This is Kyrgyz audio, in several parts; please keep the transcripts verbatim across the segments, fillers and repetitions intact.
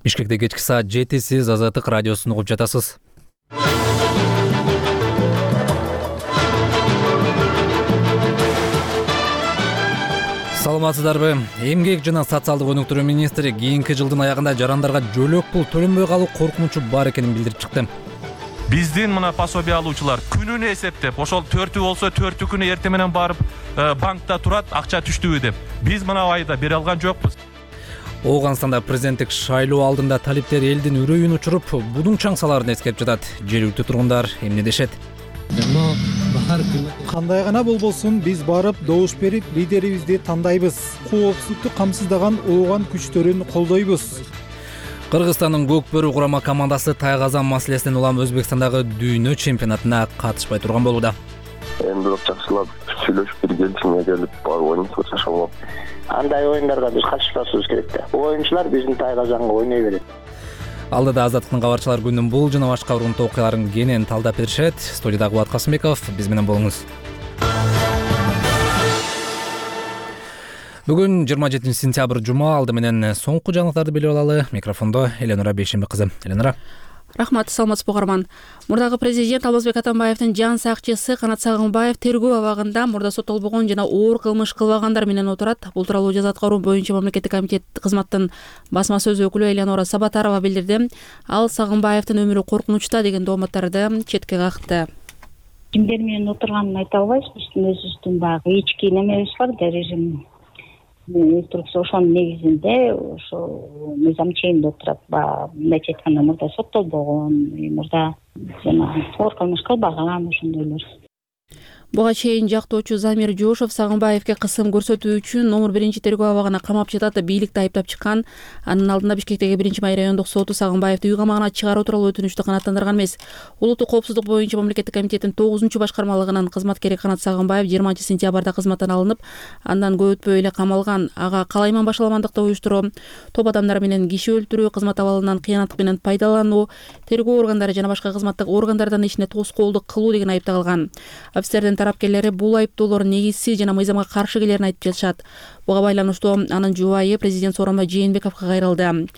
Бишкекте кечки саат жети, сиз Азаттык радиосун угуп жатасыз. Саламатсыздарбы? Эмгек жана социалдык өнүктүрүү министри кийинки жылдын аягында жарандарга жөлөк пул төлөнбөй калуу коркунучу бар экенин билдирип чыкты. Биздин мына пособие алуучулар күнүнө эсептеп, ошол төртү болсо төртү күнү эртең менен барып банкта турат, акча түштүбү деп. Биз мына айда бере алган жокпуз. Ооганстанда президенттик шайлоо алдында талиптер элдин үрөйүн учуруп, будун чаңсаларын эскерип жатат. Жергиликтүү тургундар эмне дешет? Кандай гана болбосун, биз барып добуш берип лидерибизди тандайбыз. Коопсуздукту камсыздаган ооган күчтөрүн колдойбуз. Кыргызстандын көк бөрү курама командасы Тайгазан маселесинен улам Өзбекстандагы дүйнө чемпионатына катышпай турган болууда. Эми бирок жакшылап сүйлөшүп бир келишимге келип барып ойнойбуз ошол. Андай оюндарга биз катышпашыбыз керек да. Оюнчулар биздин Тайгазанга ойной берет. Алдыда Азаттыктын кабарчылар күнүнүн бул жана башка урунтуу окуяларын кенен талдап беришет. Студияда Кубат Касымбеков, биз менен болуңуз. Бүгүн жыйырма жетинчи сентябрь жума, алды менен соңку жаңылыктарды билип алалы. Микрофондо Эленора Бейшембек кызы. Эленора. Рахмат, саламатсызбы угарман. Мурдагы президент Алмазбек Атамбаевдин жан сакчысы Канат Сагынбаев тергөө абагында мурда соттолбогон жана оор кылмыш кылбагандар менен отурат. Бул тууралуу жаза аткаруу боюнча мамлекеттик комитет кызматтын басма сөз өкүлү Элеонора Сабатарова билдирди. Ал Сагынбаевдин өмүрү коркунучта деген дооматтарды четке какты. Кимдер менен отурганын айта албайбыз. Биздин өзүбүздүн баягы ички немебиз бар да, режим инструкция ошонун негизинде ошо мыйзам чегинде отурат. Баягы мындайча айтканда мурда соттолбогон, мурда жана оор кылмыш кылбаган ошондойлор. Буга чейин жактоочу Замир Жошов Сагынбаевге кысым көрсөтүү үчүн номер биринчи тергөө абагына камап жатат, бийликти айыптап чыккан. Анын алдында Бишкектеги биринчи май райондук соту Сагынбаевди үй камагына чыгаруу тууралуу өтүнүчтү канааттандырган эмес. Улуттук коопсуздук боюнча мамлекеттик комитеттин тогузунчу башкармалыгынын кызматкери Канат Сагынбаев жыйырманчы сентябрда кызматтан алынып, андан көп өтпөй эле камалган. Ага калайман башаламандыкты уюштуруу, топ адамдар менен киши өлтүрүү, кызмат абалынан кыянаттык менен пайдалануу, тергөө органдары жана башка кызматтык органдардан ишине тоскоолдук кылуу деген айып тагылган. Офицердин тарапкерлери бул айыптоолор негизсиз жана мыйзамга каршы келерин айтып жатышат. Буга байланыштуу анын жубайы президент Сооронбай Жээнбековго кайрылды.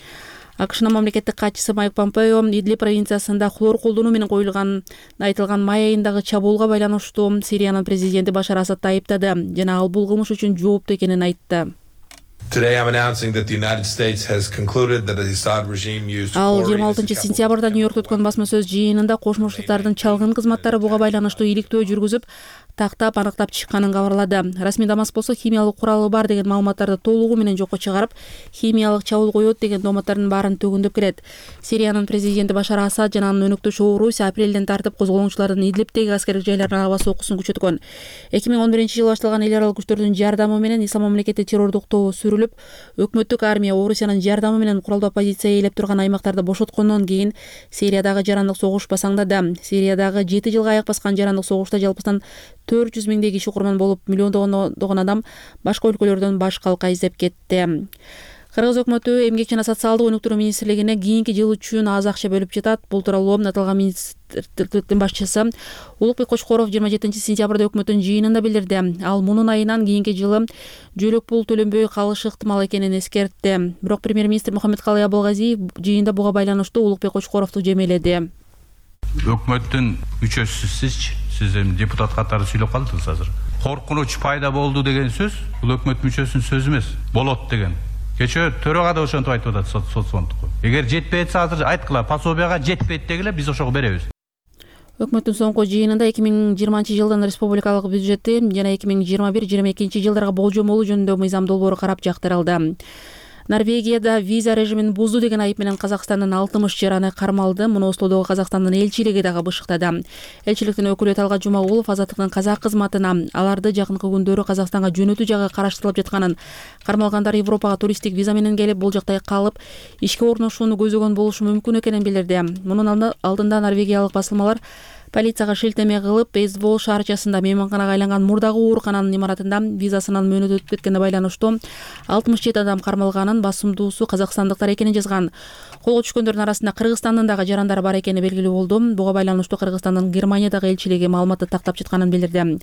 АКШнын мамлекеттик катчысы Майк Помпео Идлиб провинциясында хлор колдонуу менен коюлган айтылган май айындагы чабуулга байланыштуу Сириянын президенти Башар Асадды айыптады жана ал бул кылмыш үчүн жооптуу экенин айтты. Ал жыйырма алтынчы сентябрда Нью-Йоркто өткөн басма сөз жыйынында Кошмо Штаттардын чалгын кызматтары буга байланыштуу иликтөө жүргүзүп, тактап аныктап чыкканын кабарлады. Расмий Дамаск болсо химиялык куралы бар деген маалыматтарды толугу менен жокко чыгарып, химиялык чабуул коет деген дооматтардын баарын төгүндөп келет. Сириянын президенти Башар Асад жана анын өнөктөшү Орусия апрелден тартып козголоңчулардын Идлибтеги аскердик жайларына аба сокусун күчөткөн. эки миң он биринчи жылы башталган эл аралык күчтөрдүн жардамы менен Ислам мамлекети террордук тобу сүрүлүп, өкмөттүк армия Орусиянын жардамы менен куралдуу оппозиция ээлеп турган аймактарды бошоткондон кийин Сириядагы жарандык согуш басаңдады. Сириядагы жети жылга аяк баскан жарандык согушта жалпысынан төрт жүз миңдей киши курман болуп, миллиондогон адам башка өлкөлөрдөн баш калка издеп кетти. Кыргыз өкмөтү Эмгек жана социалдык өнүктүрүү министрлигине кийинки жыл үчүн аз акча бөлүп жатат. Бул тууралуу аталган министрликтин башчысы Улукбек Кочкоров жыйырма жетинчи сентябрда өкмөттүн жыйынында билдирди. Ал мунун айынан кийинки жылы жөлөк пул төлөнбөй калышы ыктымал экенин эскертти. Бирок премьер-министр Мухаммедкалый Абылгазиев жыйында буга байланыштуу Улукбек Кочкоровду жемеледи. Өкмөттүн мүчөсүсүз сиз эми депутат катары сүйлөп калдыңыз азыр. Коркунуч пайда болду деген сөз бул өкмөт мүчөсүнүн сөзү эмес, болот деген. Кечээ төрага да ошентип айтып атат соцфондко. Эгер жетпей атса азыр айткыла, пособияга жетпейт дегиле, биз ошого беребиз. Өкмөттүн соңку жыйынында эки миң жыйырманчы жылдын республикалык бюджети жана эки миң жыйырма бир жыйырма экинчи жылдарга болжомолу жөнүндө мыйзам долбоору карап жактырылды. Норвегияда виза режимин бузду деген айып менен Казакстандын алтымыш жараны кармалды. Муну Ослодогу Казакстандын элчилиги дагы бышыктады. Элчиликтин өкүлү Талгат Жумагулов Азаттыктын казак кызматына аларды жакынкы күндөрү Казакстанга жөнөтүү жагы караштырылып жатканын, кармалгандар Европага туристтик виза менен келип, бул жакта калып, ишке орношууну көзөгөн болушу мүмкүн экенин билдирди. Мунун алдында норвегиялык басылмалар Полицияга шилтеме кылып, Бейсбол шаарчасында мейманканага айланган мурдагы оорукананын имаратында визасынан мөөнөт өтүп кеткенине байланыштуу алтымыш жети адам кармалганын, басымдуусу казакстандыктар экенин жазган. Колго түшкөндөрдүн арасында Кыргызстандын дагы жарандары бар экени белгилүү болду. Буга байланыштуу Кыргызстандын Германиядагы элчилиги маалыматты тактап жатканын билдирди.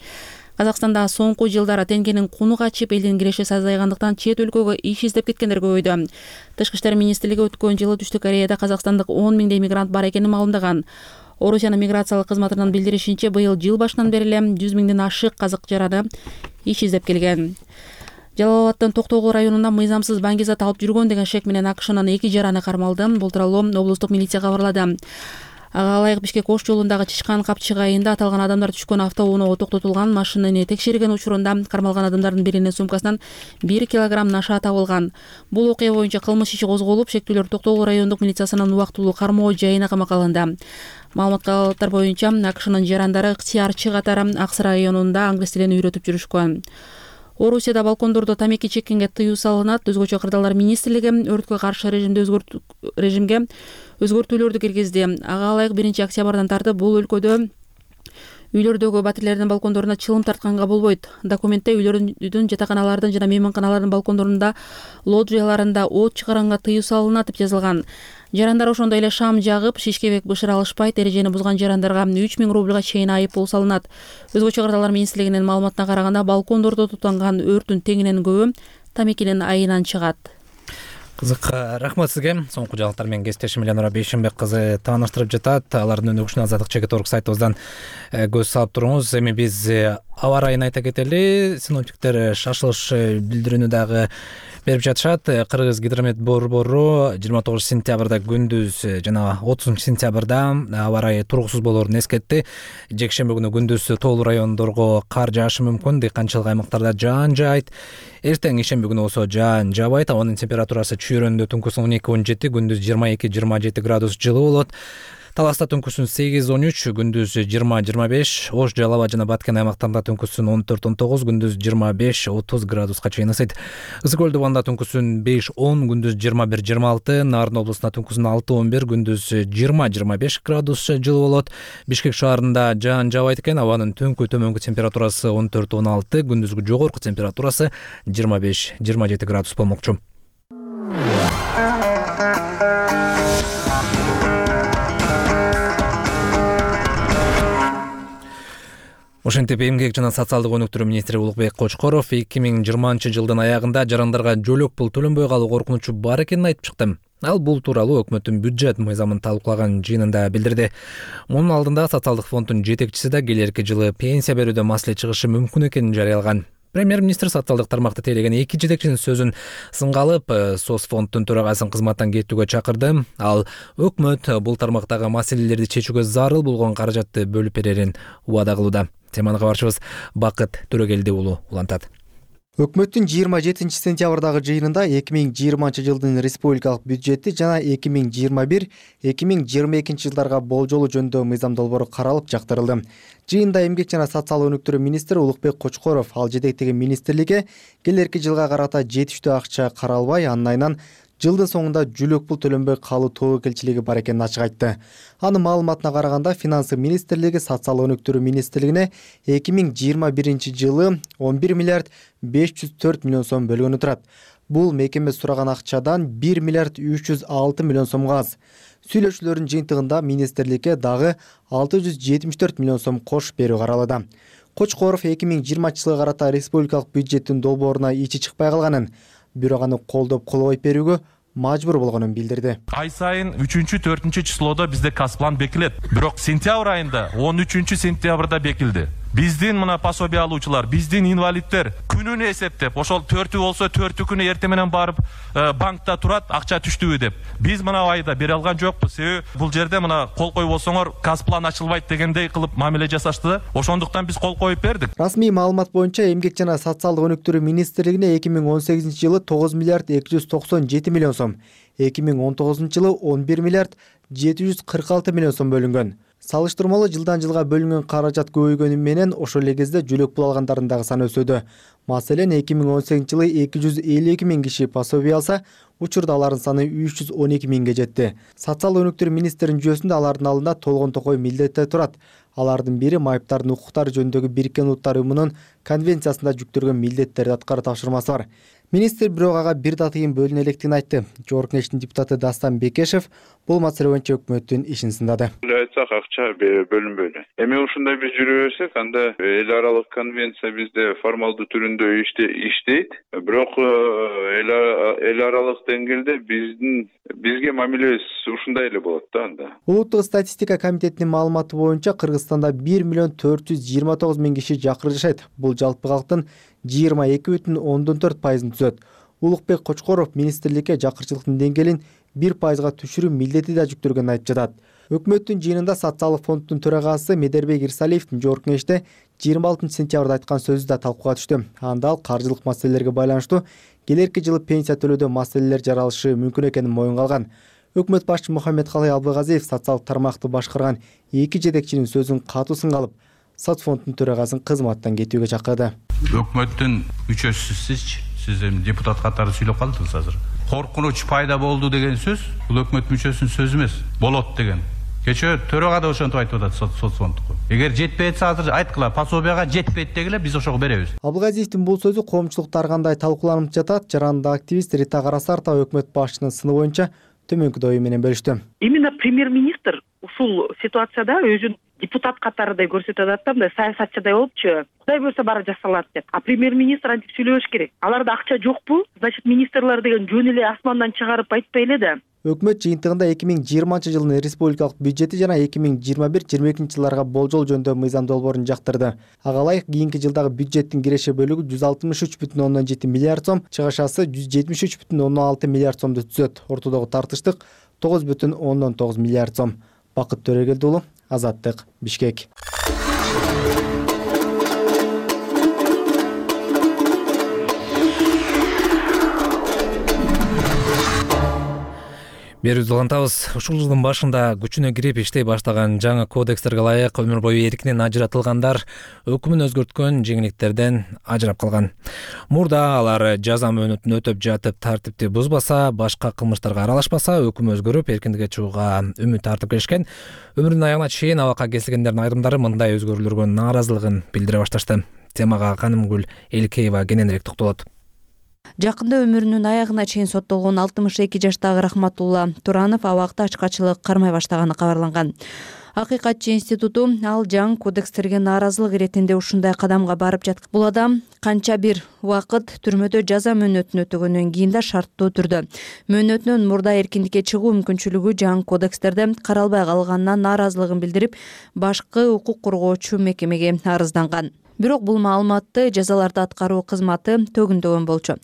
Казакстанда соңку жылдары теңгенин куну качып, элдин киреши азайгандыктан чет өлкөгө иш издеп кеткендер көбөйдү. Тышкы иштер министрлиги өткөн жылы Түштүк Кореяда казакстандык он миңдей мигрант бар экенин маалымдаган. Орусиянын миграциялык кызматынын билдиришинче, быйыл жыл башынан бери эле жүз миңден ашык казак жараны иш издеп келген. Жалал-Абаддын Токтогул районунда мыйзамсыз баңгизат алып жүргөн деген шек менен АКШнын эки жараны кармалды. Бул тууралуу облустук милиция кабарлады. Ага ылайык Бишкек Ош жолундагы Чычкан Капчык айында аталган адамдар түшкөн автоуноо токтотулган. Машинаны текшерген учурунда кармалган адамдардын биринин сумкасынан бир килограмм наша табылган. Бул окуя боюнча кылмыш иши козголуп, шектүүлөр Токтогул райондук милициясынын убактылуу кармоо жайына камакка алынды. Маалыматтар боюнча АКШнын жарандары ыктыярчы катары Аксы районунда англис тилин үйрөтүп жүрүшкөн. Орусияда балкондордо тамеки чеккенге тыюу салынат. Өзгөчө кырдаалдар министрлиги өрткө каршы режимде өзгөртү режимге өзгөртүүлөрдү киргизди. Ага ылайык биринчи октябрдан тартып бул өлкөдө үйлөрдөгү батирлердин балкондоруна чылым тартканга болбойт. Документте үйлөрдүн, жатаканалардын жана мейманканалардын балкондорунда, лоджияларында от чыгаранга тыюу салынат деп жазылган. Жарандар ошондой эле шам жагып, шишкебек бышыр алышпайт. Эрежени бузган жарандарга үч миң рубльга чейин айып пул салынат. Өзгөчө кырдаалдар министрлигинин маалыматына караганда, балкондордо тутанган өрттүн теңинен көбү тамекинин айынан чыгат. Кызык, рахмат сизге. Соңку жаңылыктар менен кесиптешим Элянура Бейшенбек кызы тааныштырып жатат. Алардын өнүгүшүнө Азаттык чекит орг сайтыбыздан көз салып туруңуз. Эми биз аба ырайын айта кетели. Синоптиктер шашылыш билдирүүнү дагы берип жатышат. Кыргыз гидромет борбору жыйырма тогузунчу сентябрда күндүз жана отузунчу сентябрда аба ырайы тургусуз болоорун эскертти. Жекшемби күнү күндүз тоолуу райондорго кар жаашы мүмкүн. Дыйканчылык аймактарда жаан жаайт. Эртең ишемби күнү болсо жаан жаабайт. Абанын температурасы чүйрөндө түнкүсүн он эки он жети, күндүз жыйырма эки жыйырма жети градус жылы болот. Таласта түнкүсүн сегиз он үч, күндүз жыйырма жыйырма беш, Ош, Жалал Абад жана Баткен аймактарында түнкүсүн он төрт он тогуз, күндүз жыйырма беш отуз градуска чейин ысыйт. Ысык көл дубанда түнкүсүн беш он, күндүз жыйырма бир жыйырма алты, Нарын облусунда түнкүсүн алты он бир, күндүз жыйырма жыйырма беш градус жылы болот. Бишкек шаарында жаан жаабайт экен. Абанын түнкү төмөнкү температурасы он төрт он алты, күндүзгү жогорку температурасы жыйырма беш жыйырма жети градус болмокчу. Ошентип эмгек жана социалдык өнүктүрүү министри Улукбек Кочкоров эки миң жыйырманчы жылдын аягында жарандарга жөлөк пул төлөнбөй калуу коркунучу бар экенин айтып чыкты. Ал бул тууралуу өкмөттүн бюджет мыйзамын талкуулаган жыйынында билдирди. Мунун алдында социалдык фонддун жетекчиси да келерки жылы пенсия берүүдө маселе чыгышы мүмкүн экенин жарыялаган. Премьер-министр социалдык тармакты тейлеген эки жетекчинин сөзүн сынга алып, Соцфонддун төрагасын кызматтан кетүүгө чакырды. Ал өкмөт бул тармактагы маселелерди чечүүгө зарыл болгон каражатты бөлүп берерин убада кылууда. Теманы кабарчыбыз Бакыт Төрөгелди уулу улантат. Өкмөттүн жыйырма жетинчи сентябрдагы жыйынында эки миң жыйырманчы жылдын республикалык бюджети жана эки миң жыйырма бир эки миң жыйырма экинчи жылдарга болжолу жөнүндө мыйзам долбоору каралып жактырылды. Жыйында эмгек жана социалдык өнүктүрүү министри Улукбек Кочкоров ал жетектеген министрликке келерки жылга карата жетиштүү акча каралбай, анын айынан жылдын соңунда жөлөк пул төлөнбөй калуу тобокелчилиги бар экенин ачык айтты. Анын маалыматына караганда, Финансы министрлиги социалдык өнүктүрүү министрлигине эки миң жыйырма биринчи жылы он бир миллиард беш жүз төрт миллион сом бөлгөнү турат. Бул мекеме сураган акчадан бир миллиард үч жүз алты миллион сомго аз. Сүйлөшүүлөрдүн жыйынтыгында министрликке дагы алты жүз жетимиш төрт миллион сом кошуп берүү каралууда. Кочкоров эки миң жыйырманчы жылга карата республикалык бюджеттин долбооруна ичи чыкпай калганын, бирок аны колдоп кол коюп берүүгө мажбур болгонун билдирди. Ай сайын үчүнчү төртүнчү числоодо бизде касплан бекилет. Бирок сентябрь айында он үчүнчү сентябрда бекилди. Биздин мына пособие алуучулар, биздин инвалиддер күнүнө эсептеп, ошол төртү болсо төртү күнү эртең менен барып банкта турат, акча түштүбү деп. Биз мына айда бере алган жокпуз. Себеби бул жерде мына кол коюп болсоңор касплан ачылбайт дегендей кылып мамиле жасашты. Ошондуктан биз кол коюп бердик. Расмий маалымат боюнча эмгек жана социалдык өнүктүрүү министрлигине эки миң он сегизинчи жылы тогуз миллиард эки жүз токсон жети миллион сом, эки миң он тогузунчу жылы он бир миллиард жети жүз кырк алты миллион сом бөлүнгөн. Салыштырмалуу жылдан жылга бөлүнгөн каражат көбөйгөнү менен ошол эле кезде жөлөк пул алгандардын дагы саны өсүүдө. Маселен, эки миң он сегизинчи жылы эки жүз элүү эки миң киши пособие алса, учурда алардын саны үч жүз он эки миңге жетти. Социалдык өнүктүрүү министринин жүйөсүндө алардын алдында толгон токой милдеттер турат. Алардын бири майыптардын укуктары жөнүндөгү Бириккен Улуттар Уюмунун конвенциясында жүктөлгөн милдеттерди аткаруу тапшырмасы бар. Министр бирок ага бир да тыйын бөлүнө электигин айтты. Жогорку Кеңештин депутаты Дастан Бекешев бул маселе боюнча өкмөттүн ишин сындады. Айтсак, акча бөлүнбөйдү. Эми ушундай биз жүрө берсек, анда эл аралык конвенция бизде формалдуу түрүндө иштейт. Бирок эл аралык деңгээлде биздин бизге мамилебиз ушундай эле болот да анда. Улуттук статистика комитетинин маалыматы боюнча Кыргызстанда бир миллион төрт жүз жыйырма тогуз миң киши жакыр жашайт. Бул жалпы калктын жыйырма эки бүтүн ондон төрт пайызын түзөт. Улукбек Кочкоров министрликке жакырчылыктын деңгээлин бир пайызга түшүрүү милдети да жүктөлгөнүн айтып жатат. Өкмөттүн жыйынында социалдык фонддун төрагасы Медербек Ирсалиевдин жогорку кеңеште жыйырма алтынчы сентябрда айткан сөзү да талкууга түштү. Анда ал каржылык маселелерге байланыштуу келерки жылы пенсия төлөөдө маселелер жаралышы мүмкүн экенин моюнга алган. Өкмөт башчы Мухаммедкалый Абылгазиев социалдык тармакты башкарган эки жетекчинин сөзүн катуу сынга алып, соцфонддун төрагасын кызматтан кетүүгө чакырды. Өкмөттүн мүчөсү сизчи, сиз эми депутат катары сүйлөп калдыңыз азыр. Коркунуч пайда болду деген сөз бул өкмөт мүчөсүнүн сөзү эмес, болот деген. Кечээ төрага да ошентип айтып атат соцфонддуку. Эгер жетпей атса азыр айткыла, пособияга жетпейт дегиле, биз ошого беребиз. Абылгазиевдин бул сөзү коомчулукта ар кандай талкууланып жатат. Жарандык активист Рита Карасартова өкмөт башчынын сыны боюнча төмөнкү ою менен бөлүштү. Именно премьер-министр ушул ситуацияда өзүн депутат катарыдай көрсөтүп атат да, мындай саясатчыдай болупчу. Кудай буюрса баары жасалат деп. А премьер-министр антип сүйлөбөш керек. Аларда акча жокпу? Значит, министрлер деген жөн эле асмандан чыгарып айтпай эле да. Өкмөт жыйынтыгында эки миң жыйырманчы жылдын республикалык бюджети жана эки миң жыйырма бир жыйырма экинчи жылдарга болжол жөнүндө мыйзам долбоорун жактырды. Ага ылайык кийинки жылдагы бюджеттин киреше бөлүгү жүз алтымыш үч бүтүн ондон жети миллиард сом, чыгышасы жүз жетимиш үч бүтүн ондон алты миллиард сомду түзөт. Ортодогу тартыштык тогуз бүтүн ондон тогуз миллиард сом. Бакыт Төрөгелди уулу, Азаттык, Бишкек. Берүүбүздү улантабыз. Ушул жылдын башында күчүнө кирип иштей баштаган жаңы кодекстерге ылайык өмүр бою эркинен ажыратылгандар өкүмүн өзгөрткөн жеңилдиктерден ажырап калган. Мурда алар жаза мөөнөтүн өтөп жатып тартипти бузбаса, башка кылмыштарга аралашпаса, өкүм өзгөрүп эркиндикке чыгууга үмүт артып келишкен. Өмүрүнүн аягына чейин абакка кесилгендердин айрымдары мындай өзгөрүүлөргө нааразылыгын билдире башташты. Темага Канымгүл Элкеева кененирээк токтолот. Жакында өмүрүнүн аягына чейин соттолгон алтымыш эки жаштагы Рахматулла Туранов абакта ачкачылык кармай баштаганы кабарланган. Акыйкатчы институту ал жаңы кодекстерге нааразылык иретинде ушундай кадамга барып жаткан. Бул адам канча бир убакыт түрмөдө жаза мөөнөтүн өтөгөндөн кийин да шарттуу түрдө мөөнөтүнөн мурда эркиндикке чыгуу мүмкүнчүлүгү жаңы кодекстерде каралбай калганына нааразылыгын билдирип, башкы укук коргоочу мекемеге арызданган. Бирок бул маалыматты жазаларды аткаруу кызматы төгүндөгөн болчу.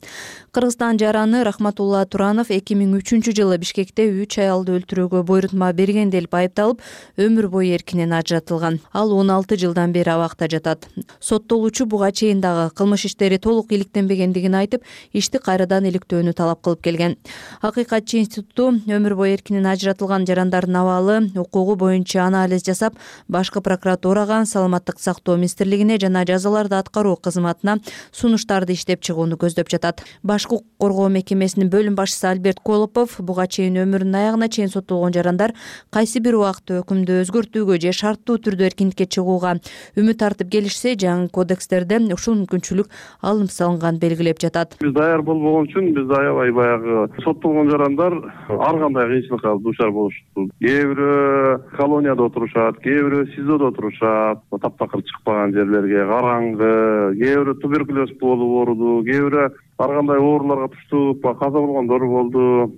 Кыргызстан жараны Рахматулла Туранов эки миң үчүнчү жылы Бишкекте үч аялды өлтүрүүгө буйрутма берген деп айыпталып, өмүр бою эркинен ажыратылган. Ал он алты жылдан бери абакта жатат. Соттолуучу буга чейин дагы кылмыш иштери толук иликтенбегендигин айтып, ишти кайрадан иликтөөнү талап кылып келген. Акыйкатчы институту өмүр бою эркинен ажыратылган жарандардын абалы, укугу боюнча анализ жасап, башкы прокуратурага, саламаттык сактоо министрлигине жана жазаларды аткаруу кызматына сунуштарды иштеп чыгууну көздөп жатат. Башкы укук коргоо мекемесинин бөлүм башчысы Альберт Колопов буга чейин өмүрүнүн аягына чейин соттолгон жарандар кайсы бир убакытта өкүмдү өзгөртүүгө же шарттуу түрдө эркиндикке чыгууга үмүт артып келишсе, жаңы кодекстерде ушул мүмкүнчүлүк алынып салынган белгилеп жатат. Биз даяр болбогон үчүн биз аябай баягы соттолгон жарандар ар кандай кыйынчылыкка дуушар болушту. Кээ бирөө колонияда отурушат, кээ бирөө СИЗОдо отурушат, таптакыр чыкпаган жерлерге, караңгы, кээ бирөө туберкулез болуп ооруду, кээ бирөө ар кандай ооруларга туштуп каза болгондор болду.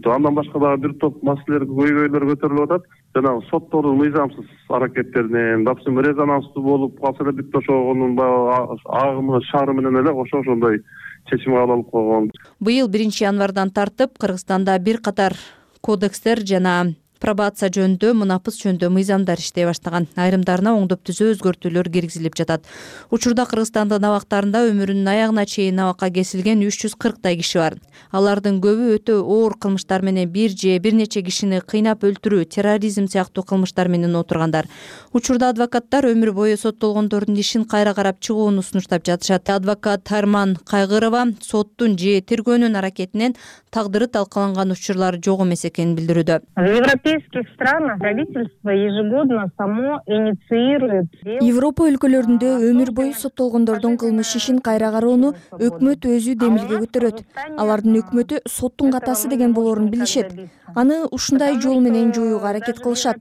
Андан башка дагы бир топ маселелер, көйгөйлөр көтөрүлүп атат. Жанагы соттордун мыйзамсыз аракеттеринен, допустим, резонанстуу болуп калса эле бүт ошонун агымы, шары менен эле ошо ошондой чечим кабыл алып койгон. Быйыл биринчи январдан тартып Кыргызстанда бир катар кодекстер жана пробация жөнүндө, мунапыс жөнүндө мыйзамдар иштей баштаган. Айрымдарына оңдоп түзөө өзгөртүүлөр киргизилип жатат. Учурда Кыргызстандын абактарында өмүрүнүн аягына чейин абакка кесилген үч жүз кырктай киши бар. Алардын көбү өтө оор кылмыштар менен бир же бир нече кишини кыйнап өлтүрүү, терроризм сыяктуу кылмыштар менен отургандар. Учурда адвокаттар өмүр бою соттолгондордун ишин кайра карап чыгууну сунуштап жатышат. Адвокат Тарман Кайгырова соттун же тергөөнүн аракетинен тагдыры талкаланган учурлар жок эмес экенин билдирүүдө. В европейских странах правительство ежегодно само инициирует. Европа өлкөлөрүндө өмүр бою соттолгондордун кылмыш ишин кайра кароону өкмөт өзү демилге көтөрөт. Алардын өкмөтү соттун катасы деген болоорун билишет. Аны ушундай жол менен жоюуга аракет кылышат.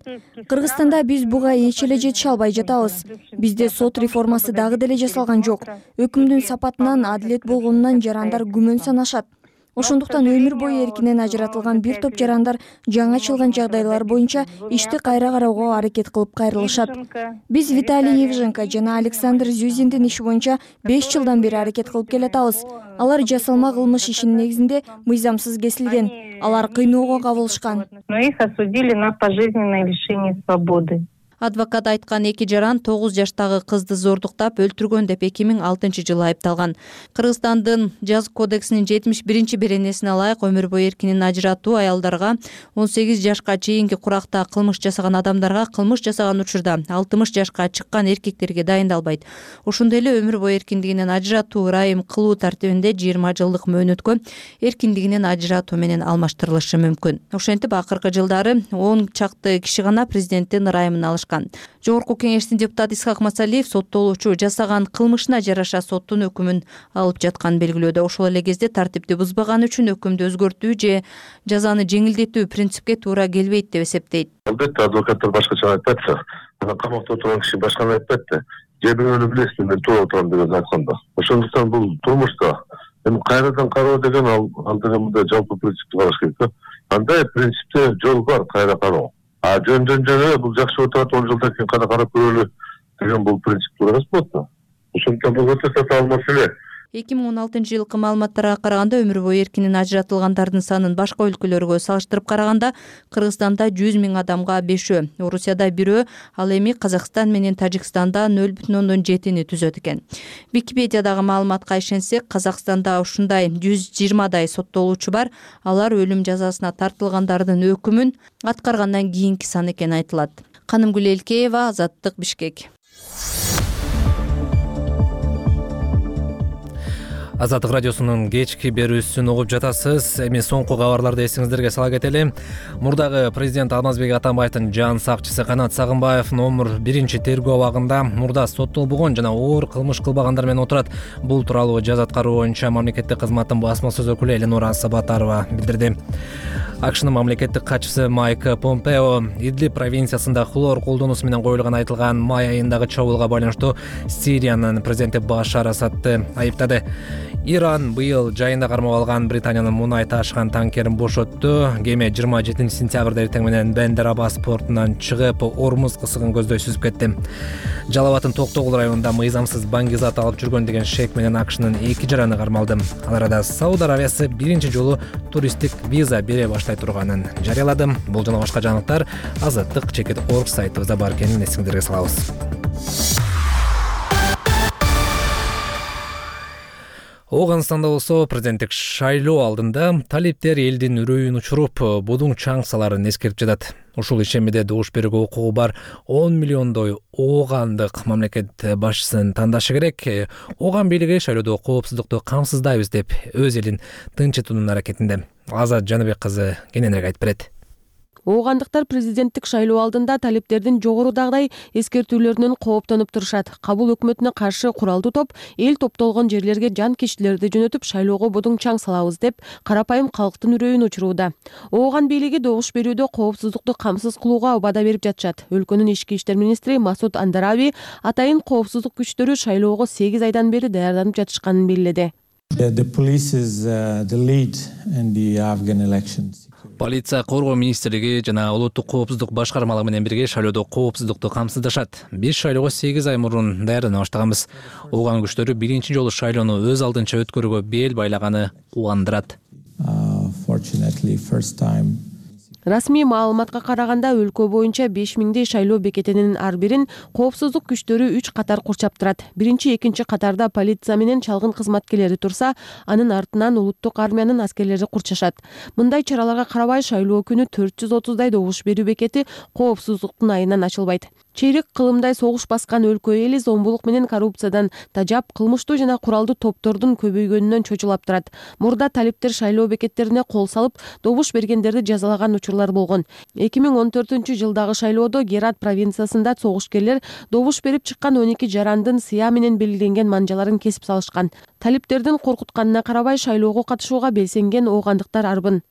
Кыргызстанда биз буга эч эле жете албай жатабыз. Бизде сот реформасы дагы деле жасалган жок. Өкүмдүн сапатынан, адилет болгонунан жарандар күмөн санашат. Ошондуктан өмүр бою эркинен ажыратылган бир топ жарандар жаңы ачылган жагдайлар боюнча ишти кайра кароого аракет кылып кайрылышат. Биз Виталий Евженко жана Александр Зюзиндин иши боюнча беш жылдан бери аракет кылып келатабыз. Алар жасалма кылмыш ишинин негизинде мыйзамсыз кесилген. Алар кыйноого кабылышкан. Но их осудили на пожизненное лишение свободы. Адвокат айткан эки жаран тогуз жаштагы кызды зордуктап өлтүргөн деп эки миң алтынчы жылы айыпталган. Кыргызстандын жаза кодексинин жетимиш биринчи беренесине ылайык өмүр бою эркинен ажыратуу аялдарга, он сегиз жашка чейинки куракта кылмыш жасаган адамдарга, кылмыш жасаган учурда алтымыш жашка чыккан эркектерге дайындалбайт. Ошондой эле өмүр бою эркиндигинен ажыратуу ырайым кылуу тартибинде жыйырма жылдык мөөнөткө эркиндигинен ажыратуу менен алмаштырылышы мүмкүн. Ошентип акыркы жылдары он чакты киши гана президенттин ырайымын алышкан. Жогорку кеңештин депутаты Исхак Масалиев соттолуучу жасаган кылмышына жараша соттун өкүмүн алып жатканын белгилөөдө. Ошол эле кезде тартипти бузбаганы үчүн өкүмдү өзгөртүү же жазаны жеңилдетүү принципке туура келбейт деп эсептейт. Албетте адвокаттар башкача айтпайт да, камакта отурган киши башканы айтпайт да. Же бирөөнү билесизби, мен туура отурам деген айтканда. Ошондуктан бул турмушта эми кайрадан кароо деген ал ал деген мындай жалпы принципти караш керек да. Андай принципте жол бар, кайра кароо. А жөн-жөн жөн бул жакшы отурат, он жылдан кийин кана карап көрөлү деген бул принцип туура эмес болот да. Ошондуктан бул өтө татаал маселе. эки миң он алтынчы жылкы маалыматтарга караганда өмүр бою эркинен ажыратылгандардын санын башка өлкөлөргө салыштырып караганда Кыргызстанда жүз миң адамга бешөө, Орусияда бирөө, ал эми Казакстан менен Тажикстанда нөл бүтүн ондон жетини түзөт экен. Википедиядагы маалыматка ишенсек, Казакстанда ушундай жүз жыйырмадай соттолуучу бар. Алар өлүм жазасына тартылгандардын өкүмүн аткаргандан кийинки сан экени айтылат. Канымгүл Элкеева, Азаттык, Бишкек. Азаттык радиосунун кечки берүүсүн угуп жатасыз. Эми соңку кабарларды эсиңиздерге сала кетели. Мурдагы президент Алмазбек Атамбаевдин жан сакчысы Канат Сагынбаев номер биринчи тергөө абагында мурда соттолбогон жана оор кылмыш кылбагандар менен отурат. Бул тууралуу жаза аткаруу боюнча мамлекеттик кызматтын басма сөз өкүлү Эленора Сабатарова билдирди. АКШнын мамлекеттик катчысы Майк Помпео Идлиб провинциясында хлор колдонуусу менен коюлган айтылган май айындагы чабуулга байланыштуу Сириянын президенти Башар Асадты айыптады. Иран быйыл жайында кармап алган Британиянын мунай ташыган танкерин бошотту. Кеме жыйырма жетинчи сентябрда эртең менен Бендер Аббас портунан чыгып, Ормуз кысыгын көздөй сүзүп кетти. Жалал Абадтын Токтогул районунда мыйзамсыз баңгизат алып жүргөн деген шек менен АКШнын эки жараны кармалды. Ал арада Сауд Аравиясы биринчи жолу туристтик виза бере баштай турганын жарыялады. Бул жана башка жаңылыктар Азаттык чекит точка орг сайтыбызда бар экенин эсиңиздерге салабыз. Ооганстанда болсо президенттик шайлоо алдында талиптер элдин үрөйүн учуруп, будуң чаңсаларын эскерип жатат. Ушул ишемиде добуш берүүгө укугу бар он миллиондой оогандык мамлекет башчысын тандашы керек. Ооган бийлиги шайлоодо коопсуздукту камсыздайбыз деп өз элин тынчытуунун аракетинде. Азат Жаныбек кызы кененирээк айтып берет. Оогандыктар президенттик шайлоо алдында талиптердин жогорудагыдай эскертүүлөрүнөн кооптонуп турушат. Кабул өкмөтүнө каршы куралдуу топ эл топтолгон жерлерге жан кишилерди жөнөтүп шайлоого будуң чаң салабыз деп карапайым калктын үрөйүн учурууда. Ооган бийлиги добуш берүүдө коопсуздукту камсыз кылууга убада берип жатышат. Өлкөнүн ички иштер министри Масуд Андараби атайын коопсуздук күчтөрү шайлоого сегиз айдан бери даярданып жатышканын белгиледи. Полиция, коргоо министрлиги жана улуттук коопсуздук башкармалыгы менен бирге шайлоодо коопсуздукту камсыздашат. Биз шайлоого сегиз ай мурун даярдана баштаганбыз. Ооган күчтөрү биринчи жолу шайлоону өз алдынча өткөрүүгө бел байлаганы убандырат. Расмий маалыматка караганда өлкө боюнча беш миңдей шайлоо бекетинин ар бирин коопсуздук күчтөрү үч катар курчап турат. Биринчи, экинчи катарда полиция менен чалгын кызматкерлери турса, анын артынан улуттук армиянын аскерлери курчашат. Мындай чараларга карабай шайлоо күнү төрт жүз отуздай добуш берүү бекети коопсуздуктун айынан ачылбайт. Чейрек кылымдай согуш баскан өлкө эли зомбулук менен коррупциядан тажап, кылмыштуу жана куралдуу топтордун көбөйгөнүнөн чочулап турат. Мурда талиптер шайлоо бекеттерине кол салып, добуш бергендерди жазалаган учурлар болгон. эки миң он төртүнчү жылдагы шайлоодо Герат провинциясында согушкерлер добуш берип чыккан он эки жарандын сыя менен белгиленген манжаларын кесип салышкан. Талиптердин коркутканына карабай шайлоого катышууга белсенген оогандыктар арбын.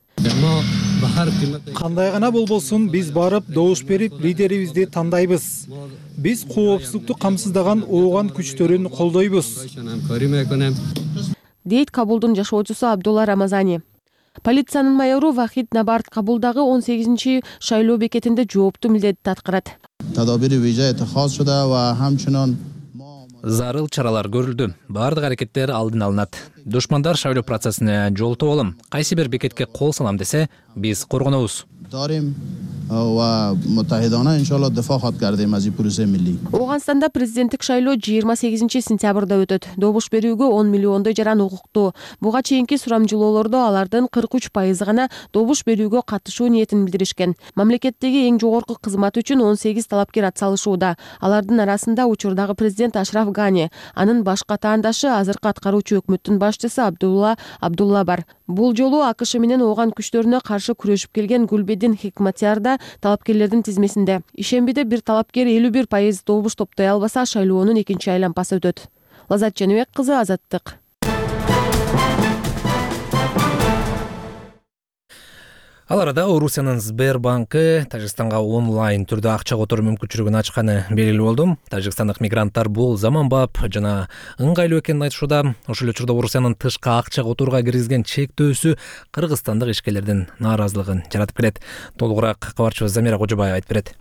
Кандай гана болбосун, биз барып добуш берип лидерибизди тандайбыз. Биз коопсуздукту камсыздаган ооган күчтөрүн колдойбуз, дейт Кабулдун жашоочусу Абдулла Рамазани. Полициянын майору Вахид Набарт Кабулдагы он сегизинчи шайлоо бекетинде жооптуу милдетти аткарат. Зарыл чаралар көрүлдү. Баардык аракеттер алдын алынат. Душмандар шайлоо процессине жолтоп алам. Кайсы бир бекетке кол салам десе, биз коргонобуз. Ооганстанда президенттик шайлоо жыйырма сегизинчи сентябрда өтөт. Добуш берүүгө он миллиондой жаран укуктуу. Буга чейинки сурамжылоолордо алардын кырк үч пайызы гана добуш берүүгө катышуу ниетин билдиришкен. Мамлекеттеги эң жогорку кызмат үчүн он сегиз талапкер атсалышууда. Алардын арасында учурдагы президент Ашраф Гани, анын баш катаандашы азыркы аткаруучу өкмөттүн башчысы Абдулла Абдулла бар. Бул жолу АКШ менен ооган күчтөрүнө каршы күрөшүп келген Гүлбедин Хикматияр да талапкерлердин тизмесинде. Ишембиде бир талапкер элүү бир пайыз добуш топтой албаса, шайлоонун экинчи айланпасы өтөт. Лазат Жаныбек кызы, Азаттык. Ал арада Орусиянын Сбербанкы Тажикстанга онлайн түрдө акча которуу мүмкүнчүлүгүн ачканы белгилүү болду. Тажикстандык мигранттар бул заманбап жана ыңгайлуу экенин айтышууда. Ошол эле учурда Орусиянын тышка акча которууга киргизген чектөөсү кыргызстандык ишкерлердин нааразылыгын жаратып келет. Толугураак кабарчыбыз Замира Кожобаева айтып берет.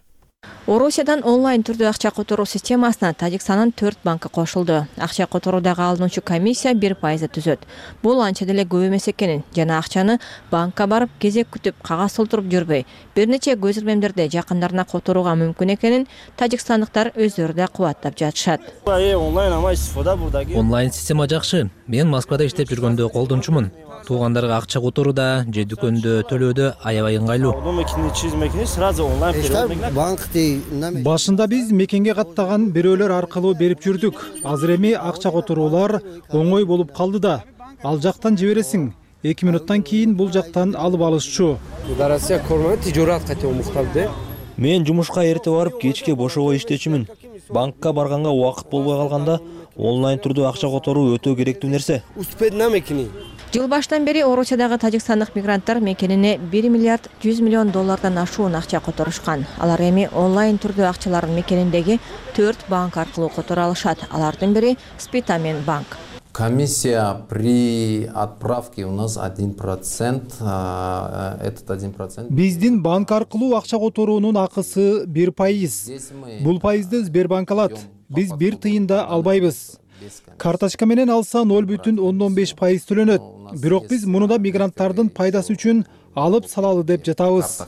Орусиядан онлайн түрдө акча которуу системасына Тажикстандын төрт банкы кошулду. Акча которуудагы алынуучу комиссия бир пайызды түзөт. Бул анча деле көп эмес экенин жана акчаны банкка барып кезек күтүп кагаз толтуруп жүрбөй, бир нече көз ирмемдерде жакындарына которууга мүмкүн экенин тажикстандыктар өздөрү да кубаттап жатышат. Онлайн система жакшы. Мен Москвада иштеп жүргөндө колдончумун. Туугандарга акча которууда же дүкөндө төлөөдө аябай ыңгайлуу. Башында биз мекенге каттаган бирөөлөр аркылуу берип жүрдүк. Азыр эми акча которуулар оңой болуп калды да. Ал жактан жибересиң. эки минуттан кийин бул жактан алып алышчу. Мен жумушка эрте барып, кечке бошого иштечүмүн. Банкка барганга убакыт болбой калганда онлайн түрдө акча которуу өтө керектүү нерсе. Жыл баштан бери Орусиядагы тажикстандык мигранттар мекенине бир миллиард жүз миллион доллардан ашуун акча которушкан. Алар эми онлайн түрдө акчаларын мекениндеги төрт банк аркылуу которо алышат. Алардын бири Спитамен банк. Комиссия при отправке у нас один процент, этот один процент. Биздин банк аркылуу акча которуунун акысы бир пайыз. Бул пайызды Сбербанк алат. Биз бир тыйын да албайбыз. Карточка менен алса ноль бүтүн ондон беш пайыз төлөнөт. Бирок биз муну да мигранттардын пайдасы үчүн алып салалы деп жатабыз.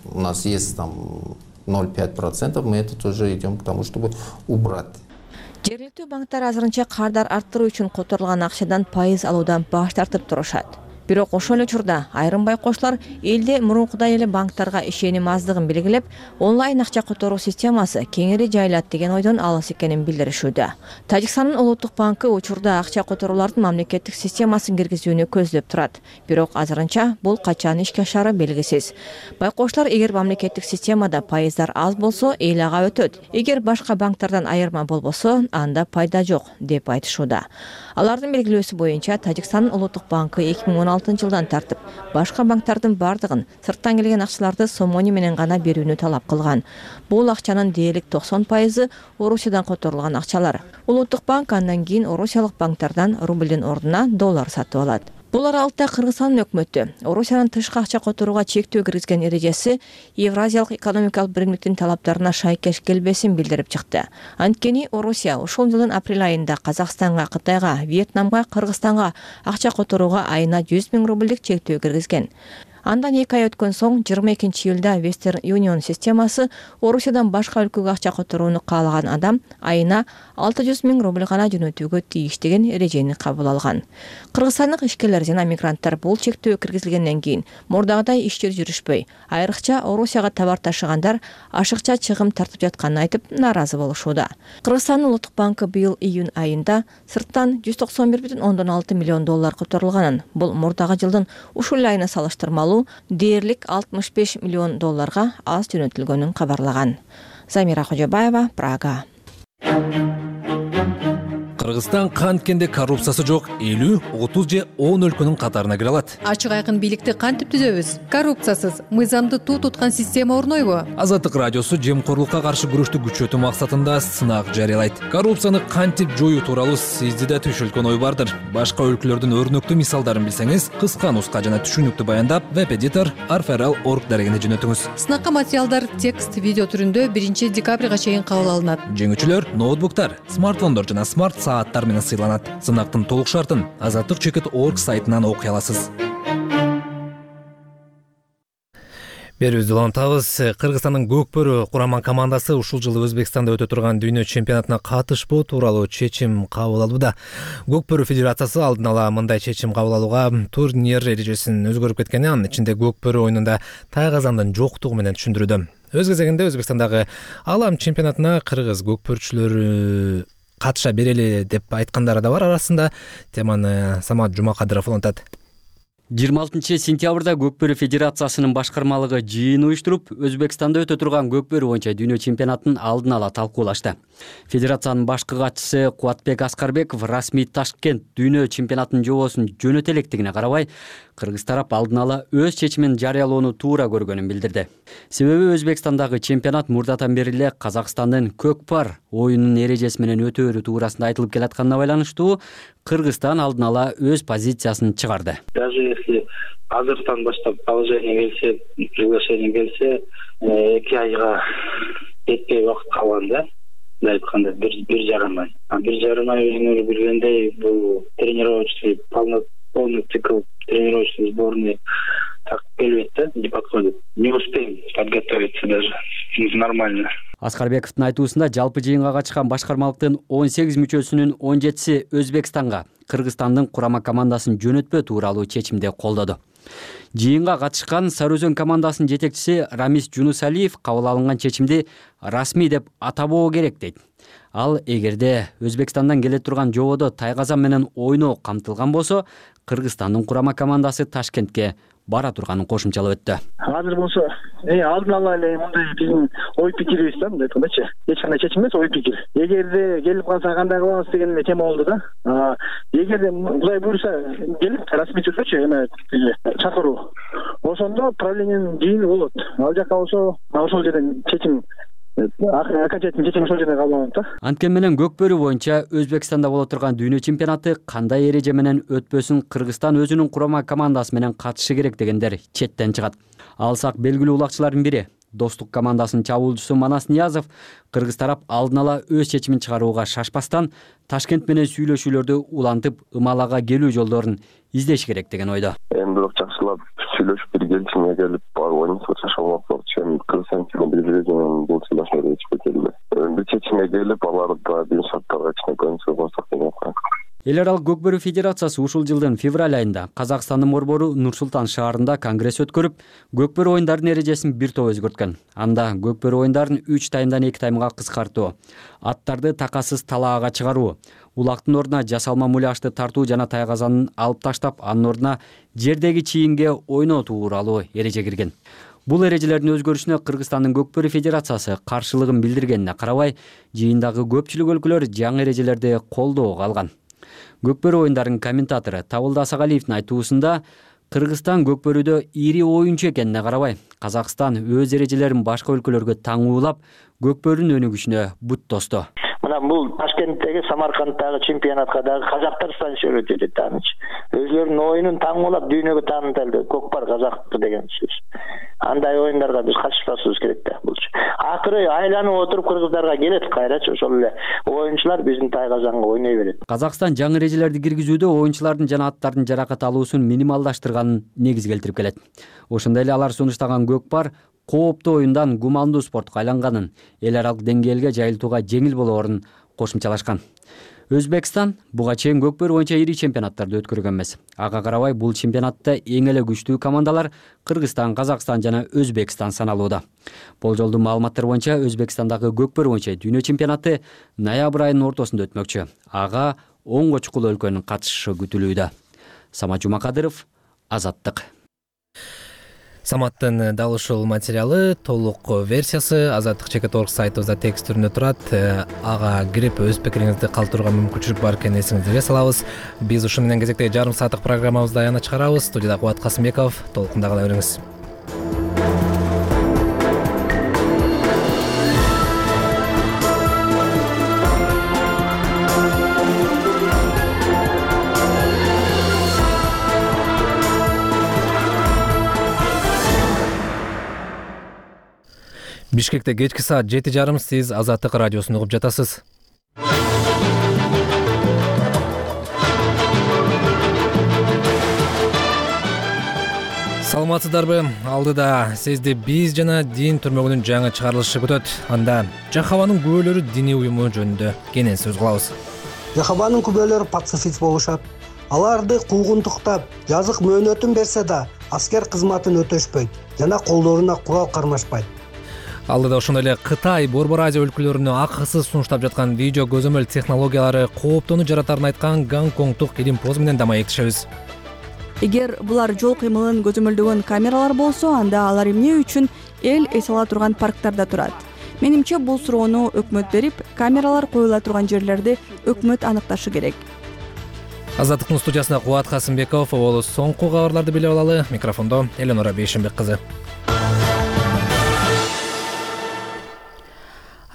У нас есть там ноль целых пять процентов, мы это тоже идем к тому, чтобы убрать. Жергиликтүү банктар азырынча кардар арттыруу үчүн которулган акчадан пайыз алуудан баш тартып турушат. Бирок ошол эле учурда айрым байкоштор элде мурункудай эле банктарга ишеним аздыгын белгилеп, онлайн акча которуу системасы кеңири жайылат деген ойдон алыс экенин билдиришүүдө. Тажикстандын улуттук банкы учурда акча которуулардын мамлекеттик системасын киргизүүнү көздөп турат. Бирок азырынча бул качан ишке ашары белгисиз. Байкоштор эгер мамлекеттик системада пайыздар аз болсо, эл ага өтөт. Эгер башка банктардан айырма болбосо, анда пайда жок деп айтышууда. Алардын белгилөөсү боюнча Тажикстандын улуттук банкы эки миң он алтынчы жылдан тартып башка банктардын бардыгын сырттан келген акчаларды сомони менен гана берүүнү талап кылган. Бул акчанын дээрлик токсон пайызы Орусиядан которулган акчалар. Улуттук банк андан кийин орусиялык банктардан рублдин ордуна доллар сатып алат. Бул аралыкта Кыргызстандын өкмөтү Орусиянын тышкы акча которууга чектөө киргизген эрежеси Евразиялык экономикалык биримдиктин талаптарына шайкеш келбесин билдирип чыкты. Анткени Орусия ушул жылдын апрель айында Казакстанга, Кытайга, Вьетнамга, Кыргызстанга акча которууга айына жүз миң рублдик чектөө киргизген. Андан эки ай өткөн соң жыйырма экинчи июлда Western Union системасы Орусиядан башка өлкөгө акча которууну каалаган адам айына алты жүз миң рубль гана жөнөтүүгө тийиш деген эрежени кабыл алган. Кыргызстандык ишкерлер жана мигранттар бул чектөө киргизилгенден кийин мурдагыдай иштер жүрүшпөй, айрыкча Орусияга товар ташыгандар ашыкча чыгым тартып жатканын айтып нааразы болушууда. Кыргызстандын Улуттук банкы быйыл июнь айында сырттан жүз токсон бир бүтүн ондон алты миллион доллар которулганын, бул мурдагы жылдын ушул айына салыштырмалуу дээрлик алтымыш беш миллион долларга аз жөнөтүлгөнүн кабарлаган. Замира Кожобаева, Прага. Кыргызстан канткенде коррупциясы жок элүү, отуз же он өлкөнүн катарына кире алат. Ачык айкын бийликти кантип түзөбүз? Коррупциясыз, мыйзамды туу туткан система орнойбу? Азаттык радиосу жемкорлукка каршы күрөштү күчөтүү максатында сынак жарыялайт. Коррупцияны кантип жоюу тууралуу сизде да түшүлгөн ой бардыр. Башка өлкөлөрдүн өрнөктүү мисалдарын билсеңиз, кыска нуска жана түшүнүктүү баяндап веб-эдитор арферал точка орг дарегине жөнөтүңүз. Сынакка материалдар текст, видео түрүндө биринчи декабрга чейин кабыл алынат. Жеңүүчүлөр ноутбуктар, смартфондор жана смарт сааттар менен сыйланат. Сынактын толук шартын азаттык чекит точка орг сайтынан окуй аласыз. Берүүбүздү улантабыз. Кыргызстандын Көкбөрү курама командасы ушул жылы Өзбекстанда өтө турган дүйнө чемпионатына катышпоо тууралуу чечим кабыл алууда. Көкбөрү федерациясы алдын ала мындай чечим кабыл алууга турнир эрежесин өзгөрүп кеткени, анын ичинде Көкбөрү оюнунда тайгазандын жоктугу менен түшүндүрүүдө. Өз кезегинде Өзбекстандагы алам чемпионатына кыргыз көкбөрчүлөрү катыша берели деп айткандары да бар. Арасында теманы Самат Жумакадыров улантат. жыйырма алтынчы сентябрда Көкбөрү федерациясынын башкармалыгы жыйын уюштуруп, Өзбекстанда өтө турган Көкбөрү боюнча дүйнө чемпионатын алдын ала талкуулашты. Федерациянын башкы катчысы Кубатбек Аскарбеков расмий Ташкент дүйнө чемпионатынын жобосун жөнөтө электигине карабай, кыргыз тарап алдын ала өз чечимин жарыялоону туура көргөнүн билдирди. Себеби Өзбекстандагы чемпионат мурдатан бери эле Казакстандын Көкпар оюнунун эрежеси менен өтөөрү туурасында айтылып келатканына байланыштуу Кыргызстан алдын ала өз позициясын чыгарды. Даже если азыртан баштап положение келсе, приглашение келсе, эки айга жетпей убакыт калган да. Айтканда бир жарым ай. Бир жарым ай өзүңөр билгендей, бул тренировочный полный цикл тренировочный сборный так келбейт да, не подходит. Не успеем подготовиться даже нормально. Аскарбековдун айтуусунда жалпы жыйынга катышкан башкармалыктын он сегиз мүчөсүнүн он жетиси Өзбекстанга Кыргызстандын курама командасын жөнөтпөө тууралуу чечимди колдоду. Жыйынга катышкан Сары Өзөн командасынын жетекчиси Рамис Жунусалиев кабыл алынган чечимди расмий деп атабоо керек дейт. Ал эгерде Өзбекстандан келе турган жободо тайгазан менен ойноо камтылган болсо, Кыргызстандын курама командасы Ташкентке бара турганын кошумчалап өттү. Азыр болсо, э алдын ала эле мындай биздин ой пикирибиз да, мындай айткандачы. Эч кандай чечим эмес, ой пикир. Эгерде келип калса кандай кылабыз деген тема болду да. Эгерде Кудай буйруса келип расмий түрдөчү эме чакыруу. Ошондо правлениянын жыйыны болот. Ал жака болсо, ошол жерден чечим окончательный чечим ошол жерде кабыл алынат да. Анткени менен Көкбөрү боюнча Өзбекстанда боло турган дүйнө чемпионаты кандай эреже менен өтпөсүн Кыргызстан өзүнүн курама командасы менен катышы керек дегендер четтен чыгат. Алсак белгилүү улакчылардын бири Достук командасынын чабуулчусу Манас Ниязов кыргыз тарап алдын ала өз чечимин чыгарууга шашпастан Ташкент менен сүйлөшүүлөрдү улантып ымалага келүү жолдорун издеш керек деген ойдо. Эми бирок жакшылап сүйлөшүп бир келишимге келип барып ойнойт болсо, чын Кыргызстан чемпион белгилеген бул сүйлөшүүлөр ичпей келди. Бир чечимге келип аларды да бир шарттарга чейин көңүл бурсак деп атат. Эл аралык Көкбөрү федерациясы ушул жылдын февраль айында Казакстандын борбору Нур-Султан шаарында конгресс өткөрүп, Көкбөрү оюндарынын эрежесин бир топ өзгөрткөн. Анда Көкбөрү оюндарын үч таймдан эки таймга кыскартуу, аттарды такасыз талаага чыгаруу, улактын ордуна жасалма муляжды тартуу жана тайгазанын алып таштап, анын ордуна жердеги чийинге ойноо тууралуу эреже кирген. Бул эрежелердин өзгөрүшүнө Кыргызстандын Көкбөрү федерациясы каршылыгын билдиргенине карабай, жыйындагы көпчүлүк өлкөлөр жаңы эрежелерди колдоого алган. Көкбөрү оюндарынын комментатору Табылды Асагалиевдин айтуусунда Кыргызстан Көкбөрүдө ири оюнчу экенине карабай, Казакстан өз эрежелерин башка өлкөлөргө таңуулап, Көкбөрүнүн өнүгүшүнө бут тосту. Мына бул Ташкенттеги, Самаркандтагы чемпионатка дагы казактарстан сүрөт этет анычы. Өзлөрүнүн оюнун таңуулап дүйнөгө таанытылды. Көкпар казактыкы деген сөз. Андай оюндарга биз катышпашыбыз керек да булчу. Акыры айланып отуруп кыргыздарга келет кайрачы, ошол эле оюнчулар биздин Тайгазанга ойной берет. Казакстан жаңы эрежелерди киргизүүдө оюнчулардын жана аттардын жаракат алуусун минималдаштырганын негиз келтирип келет. Ошондой эле алар сунуштаган көкпар кооптуу оюндан гумандуу спортко айланганын, эл аралык деңгээлге жайылтууга жеңил болоорун кошумчалашкан. Өзбекстан буга чейин көкпөр боюнча ири чемпионаттарды өткөргөн эмес. Ага карабай бул чемпионатта эң эле күчтүү командалар Кыргызстан, Казакстан жана Өзбекстан саналууда. Болжолдуу маалыматтар боюнча Өзбекстандагы көкпөр боюнча дүйнө чемпионаты ноябрь айынын ортосунда өтмөкчү. Ага онго чукул өлкөнүн катышышы күтүлүүдө. Самат Жумакадыров, Азаттык. Саматтын дал ушул материалы толук версиясы Азаттык чекит точка орг сайтыбызда текст түрүндө турат. Ага кирип өз пикириңизди калтырууга мүмкүнчүлүк бар экенин эсиңизге салабыз. Биз ушун менен кезектеги жарым сааттык программабызды аягына чыгарабыз. Студияда Кубат Касымбеков, толкундагыла бериңиз. Бишкекте кечки саат жети жарым, сиз Азаттык радиосун угуп жатасыз. Саламатсыздарбы? Алдыда сизди биз жана дин түрмөгүнүн жаңы чыгарылышы күтөт. Анда Жахабанын күбөлөрү диний уюму жөнүндө кенен сөз кылабыз. Жахабанын күбөлөрү пацифист болушат. Аларды куугунтуктап, жазык мөөнөтүн берсе да, аскер кызматын өтөшпөйт жана колдоруна курал кармашпайт. Алдыда ошондой эле Кытай, Борбор Азия өлкөлөрүнө акысыз сунуштап жаткан видео көзөмөл технологиялары кооптоону жаратарын айткан Гонконгдук илим поз менен да маектешебиз. Эгер булар жол кыймылын көзөмөлдөгөн камералар болсо, анда алар эмне үчүн эл эс ала турган парктарда турат? Менимче бул суроону өкмөт берип, камералар коюла турган жерлерди өкмөт аныкташы керек. Азаттыктын студиясында Кубат Касымбеков, ол соңку кабарларды билип алалы. Микрофондо Эленора Бейшенбек кызы.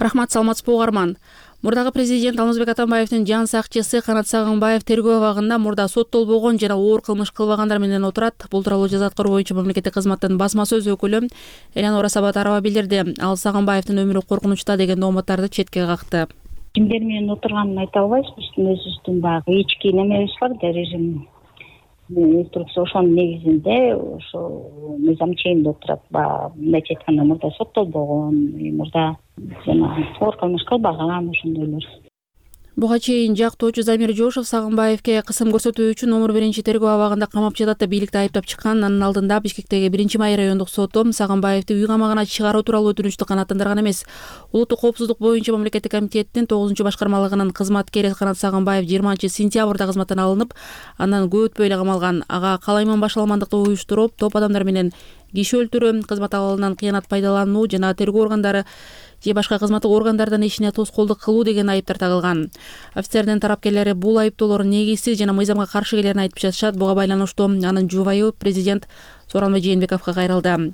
Рахмат, саламатсызбы угарман. Мурдагы президент Алмазбек Атамбаевдин жан сакчысы Канат Сагынбаев тергөө абагында мурда соттолбогон жана оор кылмыш кылбагандар менен отурат. Бул тууралуу жаза аткаруу боюнча мамлекеттик кызматтын басма сөз өкүлү Эленора Сабатарова билдирди. Ал Сагынбаевдин өмүрү коркунучта деген дооматтарды четке какты. Кимдер менен отурганын айта албайбыз. Биздин өзүбүздүн баягы ички немебиз бар, режим инструкция ошонун негизинде ошо мыйзам чегинде отурат. Баягы мындайча айтканда мурда соттолбогон, мурда жана оор кылмыш кылбаган ошондойлор. Буга чейин жактоочу Замир Жошов Сагынбаевке кысым көрсөтүү үчүн номер биринчи тергөө абагында камап жатат деп бийликти айыптап чыккан. Анын алдында Бишкектеги биринчи май райондук соту Сагынбаевди үй камагына чыгаруу тууралуу өтүнүчтү канааттандырган эмес. Улуттук коопсуздук боюнча мамлекеттик комитеттин тогузунчу башкармалыгынын кызматкери Канат Сагынбаев жыйырманчы сентябрда кызматтан алынып, андан көп өтпөй эле камалган. Ага калайман башаламандыкты уюштуруп, топ адамдар менен киши өлтүрүү, кызмат абалынан кыянат пайдалануу жана тергөө органдары же башка кызматтык органдардын ишине тоскоолдук кылуу деген айыптар тагылган. Офицердин тарапкерлери бул айыптоолор негизсиз жана мыйзамга каршы келерин айтып жатышат. Буга байланыштуу анын жубайы президент Сооронбай Жээнбековго кайрылды.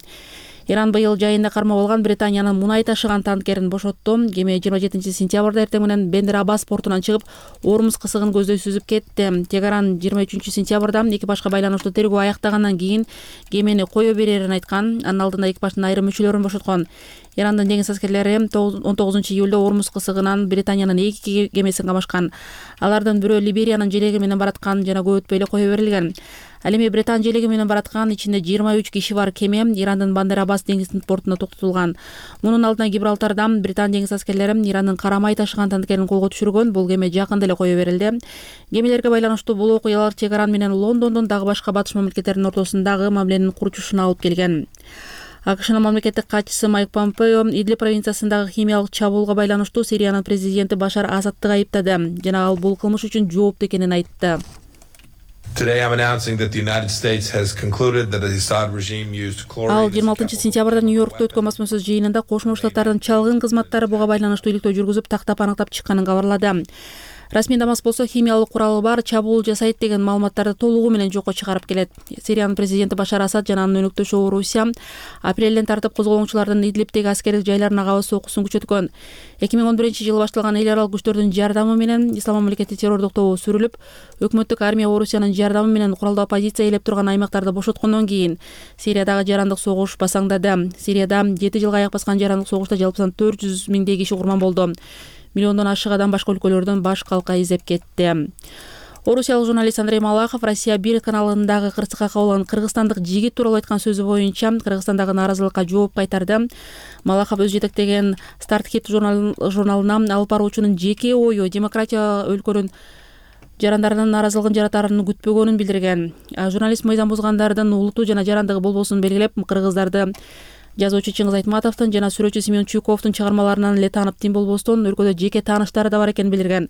Иран быйыл жайында кармап алган Британиянын мунай ташыган танкерин бошотту. Кеме жыйырма жетинчи сентябрда эртең менен Бендер Аббас портунан чыгып, Ормуз кысыгын көздөй сүзүп кетти. Тегеран жыйырма үчүнчү сентябрда экипажга байланыштуу тергөө аяктагандан кийин кемени кое берерин айткан. Анын алдында экипаждын айрым мүчөлөрүн бошоткон. Ирандын деңиз аскерлери он тогузунчу июлда Ормуз кысыгынан Британиянын эки кемесин камашкан. Алардын бирөө Либериянын желеги менен бараткан жана көп өтпөй эле кое берилген. Ал эми Британ желеги менен бараткан ичинде жыйырма үч киши бар кеме Ирандын Бандер Аббас деңиз портуна токтотулган. Мунун алдына Гибралтарда Британ деңиз аскерлери Ирандын карамай ташыган танкерин колго түшүргөн. Бул кеме жакында эле кое берилди. Кемелерге байланыштуу бул окуялар Тегеран менен Лондондон дагы башка батыш мамлекеттердин ортосундагы мамиленин курчушуна алып келген. АКШнын мамлекеттик катчысы Майк Помпео Идлиб провинциясындагы химиялык чабуулга байланыштуу Сириянын президенти Башар Асадты айыптады жана ал бул кылмыш үчүн жооптуу экенин айтты. Ал жыйырма алтынчы сентябрда Нью-Йоркто өткөн басма сөз жыйынында Кошмо Штаттардын чалгын кызматтары буга байланыштуу иликтөө жүргүзүп, тактап аныктап чыкканын кабарлады. Расмий Дамаск болсо химиялык куралы бар чабуул жасайт деген маалыматтарды толугу менен жокко чыгарып келет. Сириянын президенти Башар Асад жана анын өнөктөшү Орусия апрелден тартып козголоңчулардын Идлибтеги аскердик жайларына кабыл сокусун күчөткөн. эки миң он биринчи жылы башталган эл аралык күчтөрдүн жардамы менен Ислам мамлекети террордук тобу сүрүлүп, өкмөттүк армия Орусиянын жардамы менен куралдуу оппозиция ээлеп турган аймактарды бошоткондон кийин Сириядагы жарандык согуш басаңдады. Сирияда жети жылга аяк баскан жарандык согушта жалпысынан төрт жүз миңдей киши курман болду. Миллиондон ашык адам башка өлкөлөрдөн баш калка издеп кетти. Орусиялык журналист Андрей Малахов Россия бир каналындагы кырсыкка кабылган кыргызстандык жигит тууралуу айткан сөзү боюнча Кыргызстандагы нааразылыкка жооп кайтарды. Малахов өз жетектеген Старт Хит журналына алып баруучунун жеке ою демократия өлкөнүн жарандарынын нааразылыгын жаратарын күтпөгөнүн билдирген. Журналист мыйзам бузгандардын улуту жана жарандыгы болбосун белгилеп, кыргыздарды жазуучу Чыңгыз Айтматовдун жана сүрөтчү Семен Чуйковдун чыгармаларынан эле таанып тим болбостон өлкөдө жеке тааныштары да бар экенин билдирген.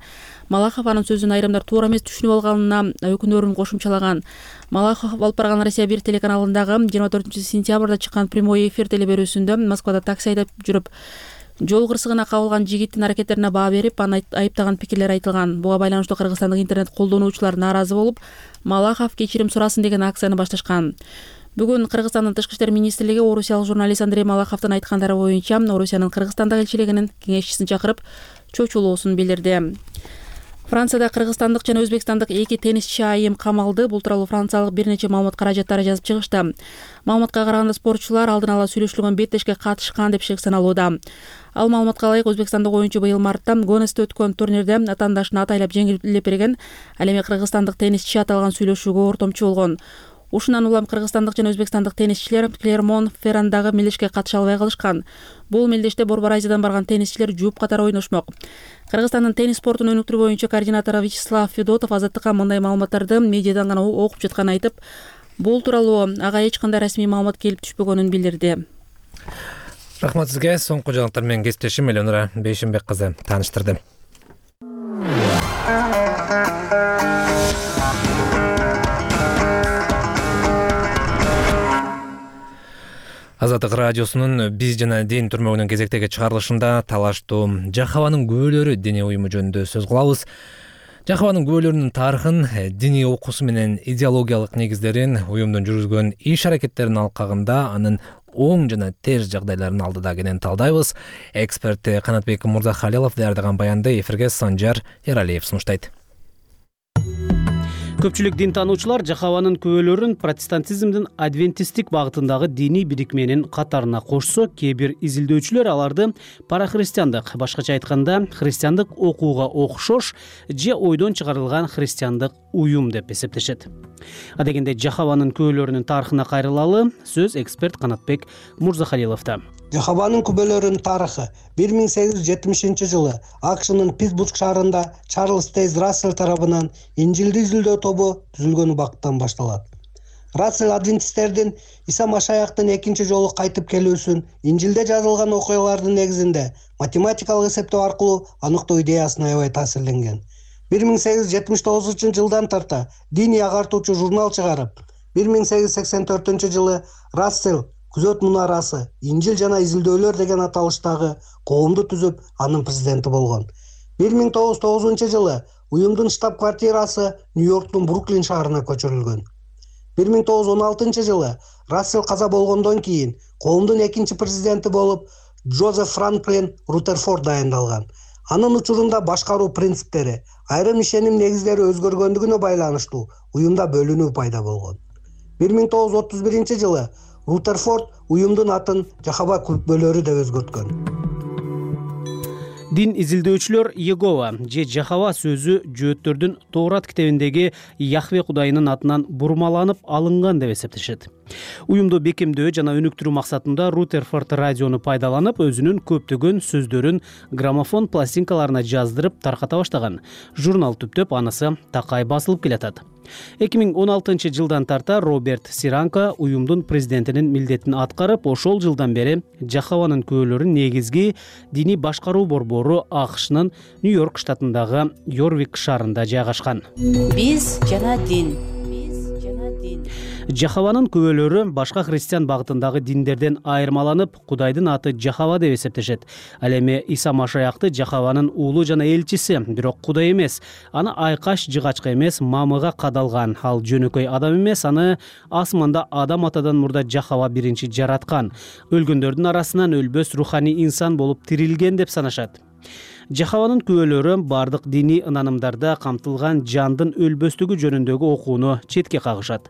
Малахов анын сөзүн айрымдар туура эмес түшүнүп алганына өкүнөрүн кошумчалаган. Малахов алып барган Россия бир телеканалындагы жыйырма төртүнчү сентябрда чыккан прямой эфир телеберүүсүндө Москвада такси айдап жүрүп жол кырсыгына кабылган жигиттин аракеттерине баа берип, аны айыптаган пикирлер айтылган. Буга байланыштуу кыргызстандык интернет колдонуучулар нааразы болуп, Малахов кечирим сурасын деген акцияны башташкан. Бүгүн Кыргызстандын Тышкы иштер министрлиги орусиялык журналист Андрей Малаховдун айткандары боюнча Орусиянын Кыргызстандагы элчилигинин кеңешчисин чакырып, чочулоосун билдирди. Францияда кыргызстандык жана өзбекстандык эки теннисчи айым камалды. Бул тууралуу франциялык бир нече маалымат каражаттары жазып чыгышты. Маалыматка караганда спортчулар алдын ала сүйлөшүлгөн беттешке катышкан деп саналууда. Ал маалыматка ылайык өзбекстандык оюнчу быйыл мартта Гонесте өткөн турнирде атаандашын атайлап жеңилип берген. Ал эми кыргызстандык теннисчи аталган сүйлөшүүгө ортомчу болгон. Ушундан улам кыргызстандык жана өзбекстандык теннисчилер Клермон Феррандагы мелдешке катыша албай калышкан. Бул мелдеште Борбор Азиядан барган теннисчилер жууп катары ойношмок. Кыргызстандын теннис спортун өнүктүрүү боюнча координатору Вячеслав Федотов Азаттыкка мындай маалыматтарды медиадан гана окуп жатканын айтып, бул тууралуу ага эч кандай расмий маалымат келип түшпөгөнүн билдирди. Рахмат сизге. Соңку жаңылыктар менен кесиптешим Эленора Бейшимбек кызы тааныштырды. Азаттык радиосунун биз жана дин түрмөгүнүн кезектеги чыгарылышында талаштуу Жахаванын күбөлөрү диний уюму жөнүндө сөз кылабыз. Жахаванын күбөлөрүнүн тарыхын, диний окуусу менен идеологиялык негиздерин, уюмдун жүргүзгөн иш-аракеттеринин алкагында анын оң жана терс жагдайларын алдыда кенен талдайбыз. Эксперт Канатбек Мурзахалилов даярдаган баянды эфирге Санжар Эралиев сунуштайт. Көпчүлүк дин таануучулар Жахаванын күбөлөрүн протестантизмдин адвентисттик багытындагы диний бирикменин катарына кошсо, кээ бир изилдөөчүлөр аларды парахристиандык, башкача айтканда христиандык окууга окшош же ойдон чыгарылган христиандык уюм деп эсептешет. Адегенде Жахаванын күбөлөрүнүн тарыхына кайрылалы сөз эксперт Канатбек Мурзахалиловдо. Жахаванын күбөлөрүнүн тарыхы бир миң сегиз жүз жетимишинчи жылы АКШнын Питтсбург шаарында Чарльз Тейз Рассел тарабынан Инжилди изилдөө тобу түзүлгөн убакыттан башталат. Рассел адвентисттердин Иса Машаяктын экинчи жолу кайтып келүүсүн Инжилде жазылган окуялардын негизинде математикалык эсептөө аркылуу аныктоо идеясына аябай таасирленген. бир миң сегиз жүз жетимиш тогузунчу жылдан тарта диний агартуучу журнал чыгарып, бир миң сегиз жүз сексен төртүнчү жылы Рассел Күзөт мунарасы, Инжил жана изилдөөлөр деген аталыштагы коомду түзүп, анын президенти болгон. бир миң тогуз жүз тогузунчу жылы уюмдун штаб-квартирасы Нью-Йорктун Бруклин шаарына көчүрүлгөн. бир миң тогуз жүз он алтынчы жылы Рассел каза болгондон кийин коомдун экинчи президенти болуп Джозеф Франклин Рутерфорд дайындалган. Анын учурунда башкаруу принциптери, айрым ишеним негиздери өзгөргөндүгүнө байланыштуу уюмда бөлүнүү пайда болгон. бир миң тогуз жүз отуз биринчи жылы Рутерфорд уюмдун атын Жахава күбөлөрү деп өзгөрткөн. Дин изилдөөчүлөр Егова же Жахава сөзү жөөттөрдүн Тоорат китебиндеги Яхве Кудайынын атынан бурмаланып алынган деп эсептешет. Уюмду бекемдөө жана өнүктүрүү максатында Рутерфорд радиону пайдаланып, өзүнүн көптөгөн сөздөрүн граммофон пластинкаларына жаздырып тарката баштаган. Журнал түптөп анысы такай басылып келатат. эки миң он алтынчы жылдан тарта Роберт Сиранко уюмдун президентинин милдетин аткарып, ошол жылдан бери Жахаванын күбөлөрүн негизги диний башкаруу борбору АКШнын Нью-Йорк штатындагы Йорвик шаарында жайгашкан. Биз жана дин. Жахаванын күбөлөрү башка христиан багытындагы диндерден айырмаланып, Кудайдын аты Жахава деп эсептешет. Ал эми Иса Машаякты Жахаванын уулу жана элчиси, бирок Кудай эмес. Аны айкаш жыгачка эмес, мамыга кадалган. Ал жөнөкөй адам эмес, аны асманда Адам атадан мурда Жахава биринчи жараткан. Өлгөндөрдүн арасынан өлбөс руханий инсан болуп тирилген деп санашат. Жахаванын күбөлөрү бардык диний ынанымдарда камтылган жандын өлбөстүгү жөнүндөгү окууну четке кагышат.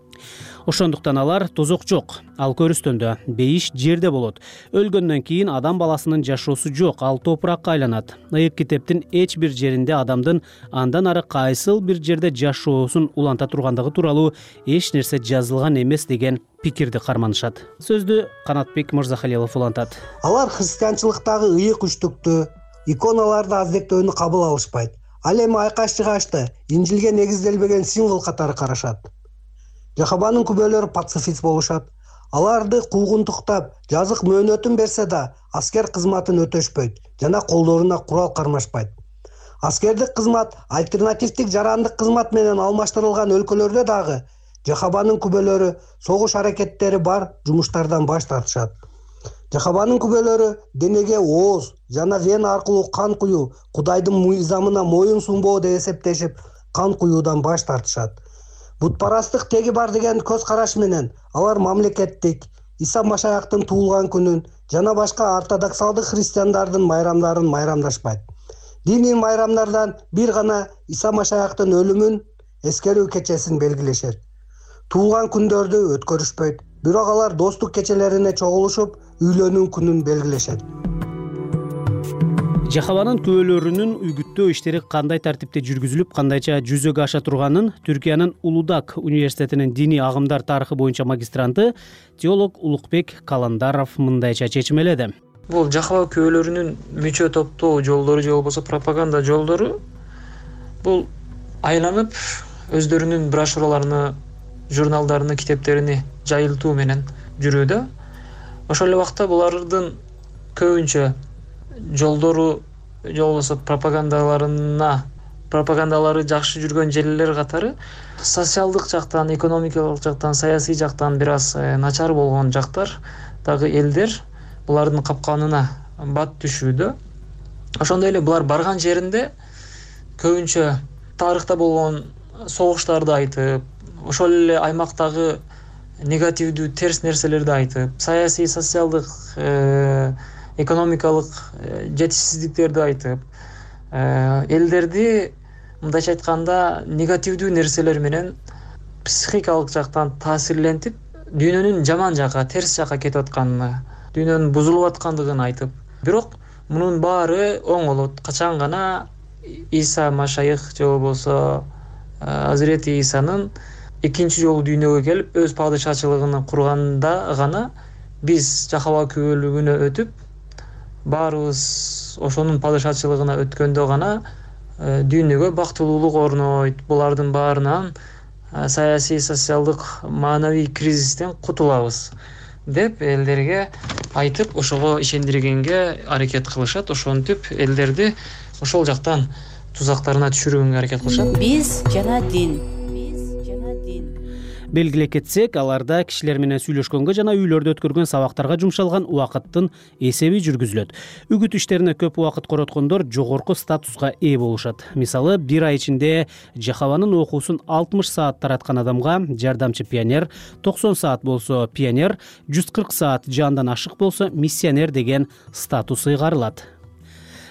Ошондуктан алар тозок жок, ал көрүстөндө, бейиш жерде болот. Өлгөндөн кийин адам баласынын жашоосу жок, ал топуракка айланат. Ыйык китептин эч бир жеринде адамдын андан ары кайсыл бир жерде жашоосун уланта тургандыгы тууралуу эч нерсе жазылган эмес деген пикирди карманышат. Сөздү Канатбек Мырзахалилов улантат. Алар христианчылыктагы ыйык үчтүктү, иконаларды аздектөөнү кабыл алышпайт. Ал эми айкаш жыгачты Инжилге негизделбеген символ катары карашат. Жахаванын күбөлөрү пацифист болушат. Аларды куугунтуктап, жазык мөөнөтүн берсе да, аскер кызматын өтөшпөйт жана колдоруна курал кармашпайт. Аскердик кызмат альтернативдик жарандык кызмат менен алмаштырылган өлкөлөрдө дагы Жахаванын күбөлөрү согуш аракеттери бар жумуштардан баш тартышат. Жахаванын күбөлөрү денеге ооз жана вена аркылуу кан куюу Кудайдын мыйзамына моюн сунбоо деп эсептешип, кан куюудан баш тартышат. Бутпарастык теги бар деген көз караш менен алар мамлекеттик, Иса Машаяктын туулган күнүн жана башка ортодоксалдык христиандардын майрамдарын майрамдашпайт. Диний майрамдардан бир гана Иса Машаяктын өлүмүн эскерүү кечесин белгилешет. Туулган күндөрдү өткөрүшпөйт, бирок алар достук кечелерине чогулушуп, үйлөнүү күнүн белгилешет. Жахаванын күбөлөрүнүн үгүттөө иштери кандай тартипте жүргүзүлүп, кандайча жүзөгө аша турганын Түркиянын Улудак университетинин диний агымдар тарыхы боюнча магистранты теолог Улукбек Каландаров мындайча чечимеледи. Бул Жахава күбөлөрүнүн мүчө топтоо жолдору же болбосо пропаганда жолдору бул айланып өздөрүнүн брошюраларыны, журналдарыны, китептерини жайылтуу менен жүрүүдө. Ошол эле убакта булардын көбүнчө жолдору же болбосо пропагандаларына пропагандалары жакшы жүргөн жерлер катары социалдык жактан, экономикалык жактан, саясий жактан бир аз начар болгон жактар дагы элдер булардын капканына бат түшүүдө. Ошондой эле булар барган жеринде көбүнчө тарыхта болгон согуштарды айтып, ошол эле аймактагы негативдүү терс нерселерди айтып, саясий, социалдык, экономикалык жетишсиздиктерди айтып, элдерди мындайча айтканда негативдүү нерселер менен психикалык жактан таасирлентип, дүйнөнүн жаман жака, терс жака кетип атканын, дүйнөнүн бузулуп аткандыгын айтып, бирок мунун баары оңолот. Качан гана Иса Машайых же болбосо Азирети Исанын экинчи жолу дүйнөгө келип өз падышачылыгын курганда гана биз Жахава күбөлүгүнө өтүп, баарыбыз ошонун падышачылыгына өткөндө гана дүйнөгө бактылуулук орнойт. Булардын баарынан саясий, социалдык, маанавий кризистен кутулабыз деп элдерге айтып, ошого ишендиргенге аракет кылышат. Ошентип элдерди ошол жактан тузактарына түшүргөнгө аракет кылышат. Биз жана дин. Белгилеп кетсек, аларда кишилер менен сүйлөшкөнгө жана үйлөрдө өткөргөн сабактарга жумшалган убакыттын эсеби жүргүзүлөт. Үгүт иштерине көп убакыт короткондор жогорку статуска ээ болушат. Мисалы, бир ай ичинде Жахаванын окуусун алтымыш саат тараткан адамга жардамчы пионер, токсон саат болсо пионер, жүз кырк саат жандан ашык болсо миссионер деген статус ыйгарылат.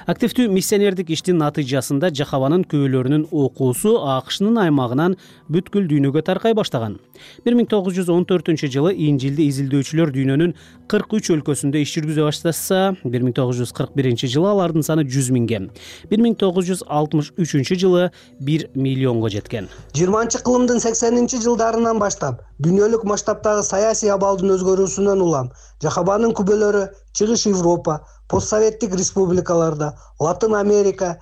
Активдүү миссионердик иштин натыйжасында Жахаванын күбөлөрүнүн окуусу АКШнын аймагынан бүткүл дүйнөгө таркай баштаган. бир миң тогуз жүз он төртүнчү жылы Инжилди изилдөөчүлөр дүйнөнүн кырк үч өлкөсүндө иш жүргүзө баштаса, бир миң тогуз жүз кырк биринчи жылы алардын саны жүз миңге, бир миң тогуз жүз алтымыш үчүнчү жылы бир миллионго жеткен. жыйырманчы кылымдын сексенинчи жылдарынан баштап дүйнөлүк масштабтагы саясий абалдын өзгөрүүсүнөн улам Жахаванын күбөлөрү Чыгыш Европа, постсоветтик республикаларда, Латын Америка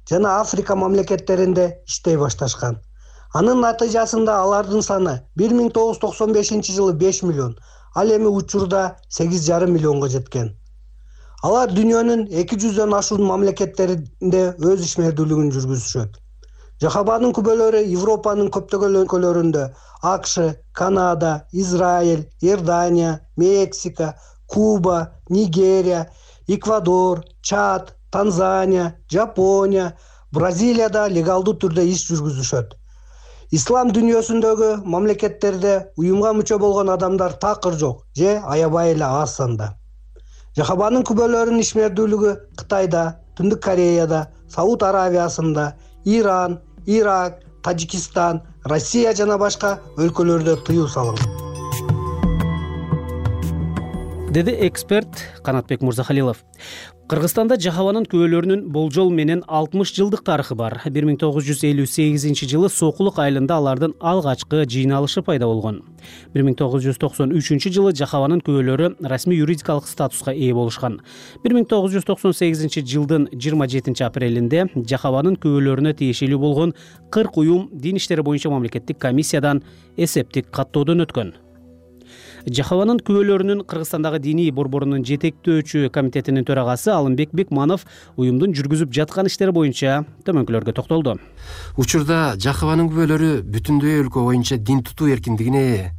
жана Африка мамлекеттеринде иштей башташкан. Анын натыйжасында алардын саны бир миң тогуз жүз токсон бешинчи жылы беш миллион, ал эми учурда сегиз жарым миллионго жеткен. Алар дүйнөнүн эки жүздөн ашуун мамлекеттеринде өз ишмердүүлүгүн жүргүзүшөт. Жахабанын күбөлөрү Европанын көптөгөн өлкөлөрүндө АКШ, Канада, Израиль, Иордания, Мексика, Куба, Нигерия, Эквадор, Чад, Танзания, Жапония, Бразилияда легалдуу түрдө иш жүргүзүшөт. Ислам дүйнөсүндөгү мамлекеттерде уюмга мүчө болгон адамдар такыр жок же аябай эле аз санда. Жахабанын күбөлөрүнүн ишмердүүлүгү Кытайда, Түндүк Кореяда, Сауд Аравиясында, Иран, Ирак, Тажикистан, Россия жана башка өлкөлөрдө тыюу салынган, деди эксперт Канатбек Мурзахалилов. Кыргызстанда жахабанын күбөлөрүнүн болжол менен алтымыш жылдык тарыхы бар. бир миң тогуз жүз элүү сегизинчи жылы Сокулук айылында алардын алгачкы жыйналышы пайда болгон. бир миң тогуз жүз токсон үчүнчү жылы жахабанын күбөлөрү расмий юридикалык статуска ээ болушкан. бир миң тогуз жүз токсон сегизинчи жылдын жыйырма жетинчи апрелинде жахабанын күбөлөрүнө тиешелүү болгон кырк уюм дин иштери боюнча мамлекеттик комиссиядан эсептик каттоодон өткөн. Жахабанын күбөлөрүнүн Кыргызстандагы диний борборунун жетектөөчү комитетинин төрагасы Алымбек Бекманов уюмдун жүргүзүп жаткан иштери боюнча төмөнкүлөргө токтолду. Учурда жахабанын күбөлөрү бүтүндөй өлкө боюнча дин тутуу эркиндигине ээ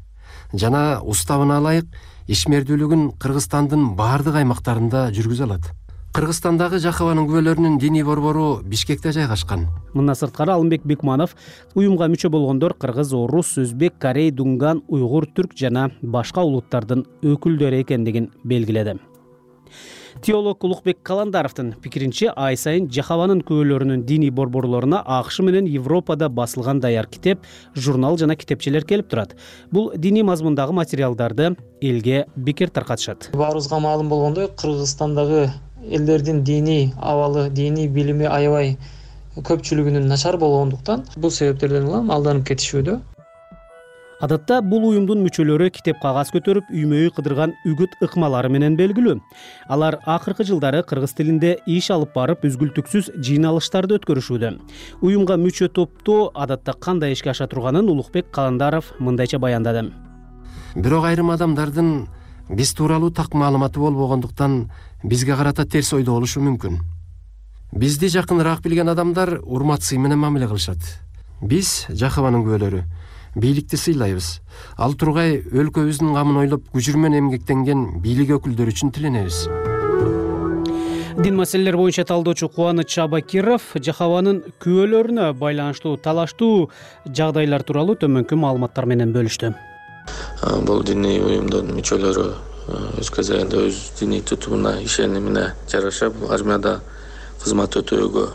жана уставына ылайык ишмердүүлүгүн Кыргызстандын баардык аймактарында жүргүзө алат. Кыргызстандагы жахабанын күбөлөрүнүн диний борбору Бишкекте жайгашкан. Мындан сырткары Алымбек Бекманов уюмга мүчө болгондор кыргыз, орус, өзбек, корей, дунган, уйгур, түрк жана башка улуттардын өкүлдөрү экендигин белгиледи. Теолог Улукбек Каландаровдун пикиринче, ай сайын жахабанын күбөлөрүнүн диний борборлоруна АКШ менен Европада басылган даяр китеп, журнал жана китепчелер келип турат. Бул диний мазмундагы материалдарды элге бекер таркатышат. Баарыбызга маалым болгондой, Кыргызстандагы элдердин диний абалы, диний билими аябай көпчүлүгүнүн начар болгондуктан бул себептерден улам алданып кетишүүдө. Адатта бул уюмдун мүчөлөрү китеп кагаз көтөрүп, үймө-үй кыдырган үгүт ыкмалары менен белгилүү. Алар акыркы жылдары кыргыз тилинде иш алып барып, үзгүлтүксүз жыйналыштарды өткөрүшүүдө. Уюмга мүчө топтоо адатта кандай ишке аша турганын Улукбек Каландаров мындайча баяндады. Бирок айрым адамдардын биз тууралуу так маалыматы болбогондуктан бизге карата терс ойдо болушу мүмкүн. Бизди жакыныраак билген адамдар урмат сый менен мамиле кылышат. Биз жахабанын күбөлөрү бийликти сыйлайбыз. Ал тургай өлкөбүздүн камын ойлоп күжүрмөн эмгектенген бийлик өкүлдөрү үчүн тиленебиз. Дин маселелер боюнча талдоочу Кубаныч Чабакиров жахабанын күбөлөрүнө байланыштуу талаштуу жагдайлар тууралуу төмөнкү маалыматтар менен бөлүштү. Бул диний уюмдун мүчөлөрү өз кезегинде өз диний тутумуна ишенимине жараша бул армияда кызмат өтөөгө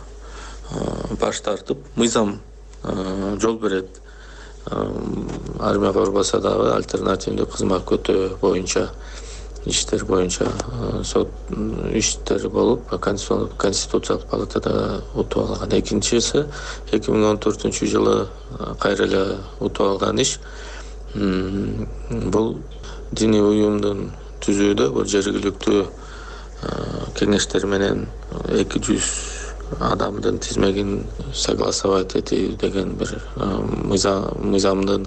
баш тартып, мыйзам жол берет. Армияга барбаса дагы альтернативдүү кызмат өтөө боюнча иштер боюнча сот иштери болуп, конституциялык палатада утуп алган. Экинчиси эки миң он төртүнчү жылы кайра эле утуп алган иш. Бул диний уюмдун түзүүдө бул жергиликтүү кеңештер менен эки жүз адамдын тизмегин согласовать этүү деген бир мыйзамдын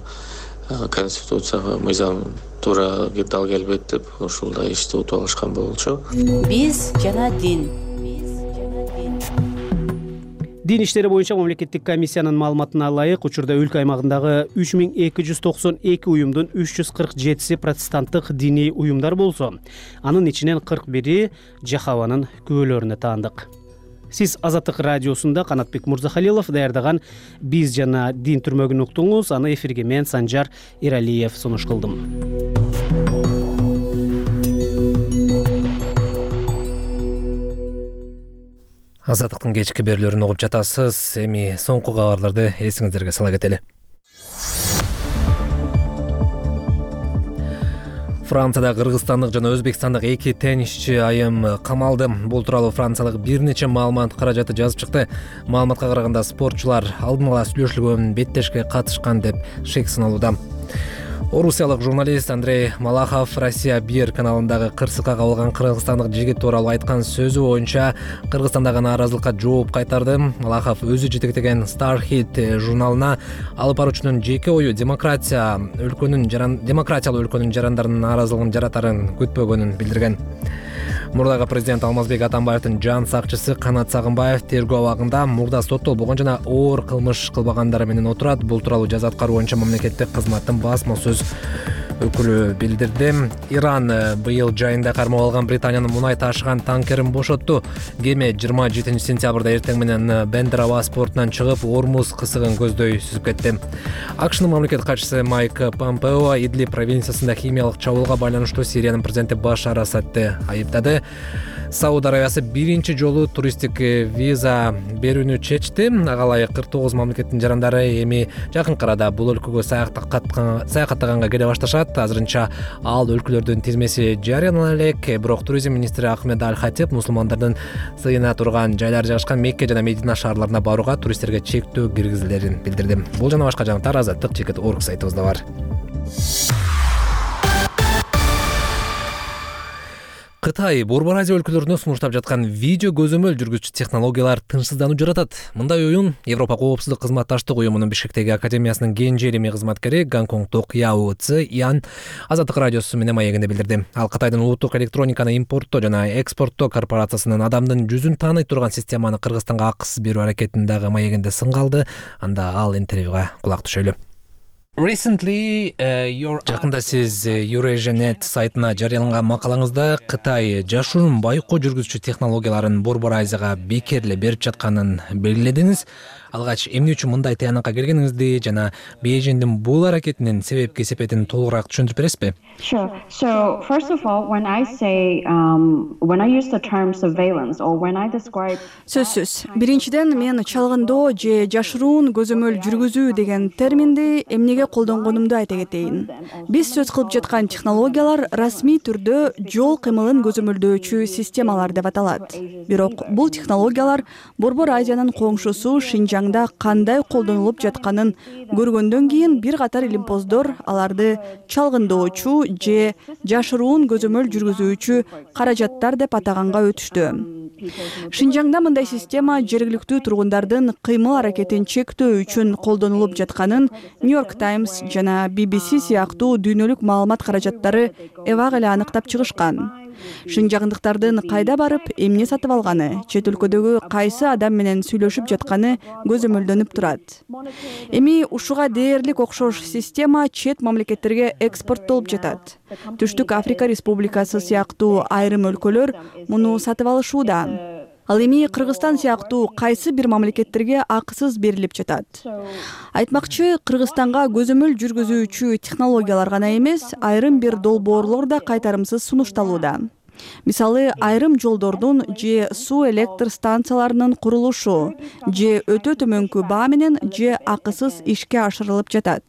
конституцияга мыйзам туура дал келбейт деп ушулдай ишти утуп алышкан болчу. Биз жана дин. Дин иштери боюнча мамлекеттик комиссиянын маалыматына ылайык, учурда өлкө аймагындагы үч миң эки жүз токсон эки уюмдун үч жүз кырк жетиси протестанттык диний уюмдар болсо, анын ичинен кырк бири жахабанын күбөлөрүнө таандык. Сиз Азаттык радиосунда Канатбек Мурзахалилов даярдаган «Биз жана дин» түрмөгүн уктуңуз. Аны эфирге мен Санжар Эралиев сунуш кылдым. Азаттыктын кечки берүүлөрүн угуп жатасыз. Эми соңку кабарларды эсиңиздерге сала кетели. Францияда кыргызстандык жана өзбекстандык эки теннисчи айым камалды. Бул тууралуу франциялык бир нече маалымат каражаты жазып чыкты. Маалыматка караганда спортчулар алдын ала сүйлөшүлгөн беттешке катышкан деп шек саналууда. Орусиялык журналист Андрей Малахов Россия бир каналындагы кырсыкка кабылган кыргызстандык жигит тууралуу айткан сөзү боюнча Кыргызстандагы нааразылыкка жооп кайтарды. Малахов өзү жетектеген Star Hit журналына алып баруучунун жеке ою демократия өлкөнүн жаран демократиялуу өлкөнүн жарандарынын нааразылыгын жаратарын күтпөгөнүн билдирген. Мурдагы президент Алмазбек Атамбаевдин жан сакчысы Канат Сагынбаев тергөө абагында мурда соттолбогон жана оор кылмыш кылбагандары менен отурат. Бул тууралуу жаза аткаруу боюнча мамлекеттик кызматтын басма сөз өкүлү билдирди. Иран быйыл жайында кармап алган Британиянын мунай ташыган танкерин бошотту. Кеме жыйырма жетинчи сентябрда эртең менен Бендер Абас портунан чыгып, Ормуз кысыгын көздөй сүзүп кетти. АКШнын мамлекет катчысы Майк Помпео Идлиб провинциясында химиялык чабуулга байланыштуу Сириянын президенти Башар Асадты айыптады. Сауд Арабиясы биринчи жолу туристтик виза берүүнү чечти. Ага ылайык кырк тогуз мамлекеттин жарандары эми жакын арада бул өлкөгө саякаттаганга келе башташат. Азырынча ал өлкөлөрдүн тизмеси жарыялана элек, бирок туризм министри Ахмед Аль-Хатиб мусулмандардын сыйына турган жайлар жайгашкан Мекке жана Медина шаарларына барууга туристтерге чектөө киргизилерин билдирди. Бул жана башка жаңылыктар азаттык чекит точка орг сайтыбызда бар. Кытай Борбор Азия өлкөлөрүнө сунуштап жаткан видео көзөмөл жүргүзчү технологиялар тынчсыздануу жаратат. Мындай оюн Европа коопсуздук кызматташтык уюмунун Бишкектеги академиясынын кенже илимий кызматкери Гонконгдук Яо Ци Ян Азаттык радиосу менен маегинде билдирди. Ал Кытайдын улуттук электрониканы импорттоо жана экспорттоо корпорациясынын адамдын жүзүн тааный турган системаны Кыргызстанга акысыз берүү аракетин дагы маегинде сынга алды. Анда ал интервьюга кулак түшөлү. Жакында сиз Eurasianet сайтына жарыяланган макалаңызда Кытай жашуун байкоо жүргүзчү технологияларын Борбор Азияга бекер эле берип жатканын белгиледиңиз. Алгач эмне үчүн мындай таянакка келгениңизди жана Бейжиңдин бул аракетинин себеп-кесепетин толугураак түшүндүрүп бересизби? Sure. So, first of all, when I say, um, when I use the term surveillance or when I describe... Сөзсүз. Биринчиден, мен чалгындоо же жашыруун көзөмөл жүргүзүү деген терминди эмнеге колдонгонумду айта кетейин. Биз сөз кылып жаткан технологиялар расмий түрдө жол кыймылын көзөмөлдөөчү системалар деп аталат. Бирок бул технологиялар Борбор Азиянын коңшусу Шинжаңда кандай колдонулуп жатканын көргөндөн кийин бир катар илимпоздор аларды чалгындоочу же жашыруун көзөмөл жүргүзүүчү каражаттар деп атаганга өтүштү. Шинжаңда мындай система жергиликтүү тургундардын кыймыл аракетин чектөө үчүн колдонулуп жатканын Нью-Йорк Таймс жана Би Би Си сыяктуу дүйнөлүк маалымат каражаттары эбак эле аныктап чыгышкан. Шинжаңдыктардын кайда барып, эмне сатып алганы, чет өлкөдөгү кайсы адам менен сүйлөшүп жатканы көзөмөлдөнүп турат. Эми ушуга дээрлик окшош система чет мамлекеттерге экспорттолуп жатат. Түштүк Африка Республикасы сыяктуу айрым өлкөлөр муну сатып алышууда. Ал эми Кыргызстан сыяктуу кайсы бир мамлекеттерге акысыз берилип жатат. Айтмакчы, Кыргызстанга көзөмөл жүргүзүүчү технологиялар гана эмес, айрым бир долбоорлор да кайтарымсыз сунушталууда. Мисалы, айрым жолдордун же суу электр станцияларынын курулушу, же өтө төмөнкү баа менен же акысыз ишке ашырылып жатат.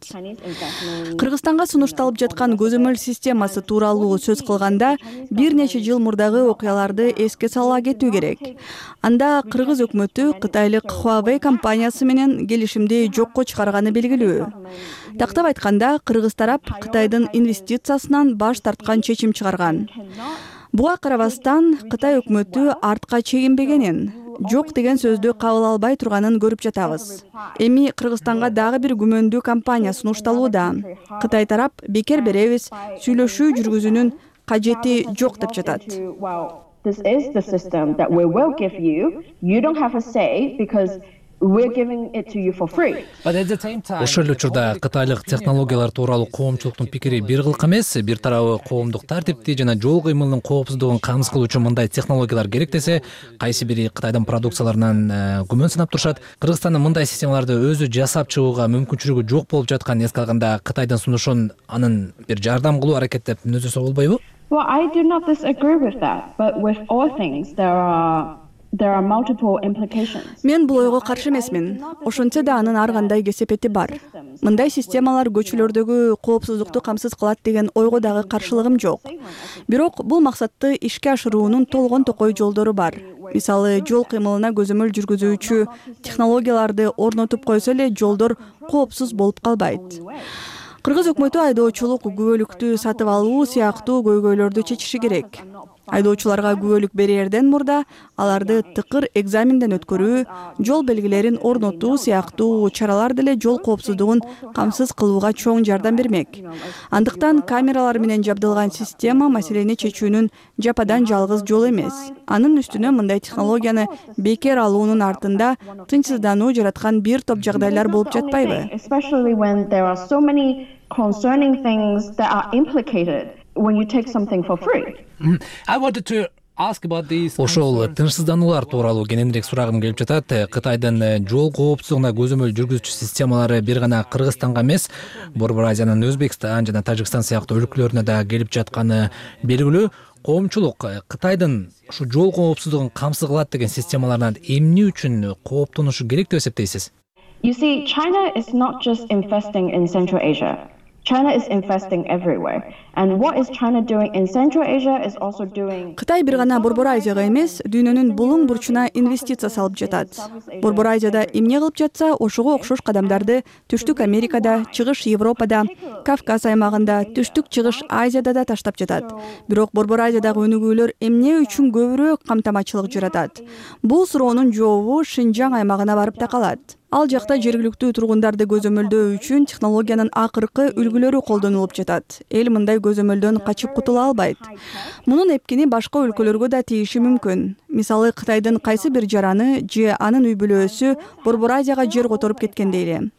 Кыргызстанга сунушталып жаткан көзөмөл системасы тууралуу сөз кылганда, бир нече жыл мурдагы окуяларды эске сала кетүү керек. Анда Кыргыз өкмөтү Кытайлык Huawei компаниясы менен келишимди жокко чыгарганы белгилүү. Тактап айтканда, Кыргыз тарап Кытайдын инвестициясынан баш тарткан чечим чыгарган. Буга карабастан Кытай өкмөтү артка чегинбегенин, жок деген сөздү кабыл албай турганын көрүп жатабыз. Эми Кыргызстанга дагы бир күмөндүү компания сунушталууда. Кытай тарап бекер беребиз, сүйлөшүү жүргүзүүнүн кажети жок деп жатат. This is the system that we will give you. You don't have a say because we're giving it to you for free. Ошол эле учурда кытайлык технологиялар тууралуу коомчулуктун пикири бир кылк эмес. Бир тарабы коомдук тартипти жана жол кыймылынын коопсуздугун камсыз кылуу үчүн мындай технологиялар керек десе, кайсы бири Кытайдын продукцияларынан күмөн санап турушат. Кыргызстандын мындай системаларды өзү жасап чыгууга мүмкүнчүлүгү жок болуп жатканын эске алганда, Кытайдын сунушун анын бир жардам кылуу аракеттеп мүнөздөсө болбойбу? Well, I do not disagree with that, but with all things there are There are multiple implications. Мен бул ойго каршы эмесмин. Ошентсе да анын ар кандай кесепети бар. Мындай системалар көчөлөрдөгү коопсуздукту камсыз кылат деген ойго дагы каршылыгым жок. Бирок бул максатты ишке ашыруунун толгон токой жолдору бар. Мисалы, жол кыймылына көзөмөл жүргүзүүчү технологияларды орнотуп койсо эле жолдор коопсуз болуп калбайт. Кыргыз өкмөтү айдоочулук күбөлүктү сатып алуу сыяктуу көйгөйлөрдү чечиши керек. Айдоочуларга күбөлүк берерден мурда аларды тыкыр экзаменден өткөрүү, жол белгилерин орнотуу сыяктуу чаралар деле жол коопсуздугун камсыз кылууга чоң жардам бермек. Андыктан камералар менен жабдылган система маселени чечүүнүн жападан жалгыз жолу эмес. Анын үстүнө мындай технологияны бекер алуунун артында тынчсыздануу жараткан бир топ жагдайлар болуп жатпайбы? Concerning things that are implicated when you take something for free. I wanted to ask about these. Ошол тынчсыздануулар тууралуу кененирээк сурагым келип жатат. Кытайдын жол коопсуздугуна көзөмөл жүргүзүүчү системалары бир гана Кыргызстанга эмес, Борбор Азиянын Өзбекстан жана Тажикстан сыяктуу өлкөлөрүнө да келип жатканы белгилүү. Коомчулук Кытайдын ушу жол коопсуздугун камсыз кылат деген системалардан эмне үчүн кооптонушу керек деп эсептейсиз? You see, China is not just investing in Central Asia. China is investing everywhere. And what is China doing in Central Asia is also doing. Кытай бир гана Борбор Азияга эмес, дүйнөнүн булуң бурчуна инвестиция салып жатат. Борбор Азияда эмне кылып жатса, ошого окшош кадамдарды Түштүк Америкада, Чыгыш Европада, Кавказ аймагында, Түштүк Чыгыш Азияда да таштап жатат. Бирок Борбор Азиядагы өнүгүүлөр эмне үчүн көбүрөөк камтамачылык жаратат? Бул суроонун жообу Шинжаң аймагына барып такалат. Ал жакта жергиликтүү тургундарды көзөмөлдөө үчүн технологиянын акыркы үлгүлөрү колдонулуп жатат. Эл мындай көзөмөлдөн качып кутула албайт. Мунун эпкини башка өлкөлөргө да тийиши мүмкүн. Мисалы, Кытайдын кайсы бир жараны же анын үй бүлөсү Борбор Азияга жер которуп кеткен дейли.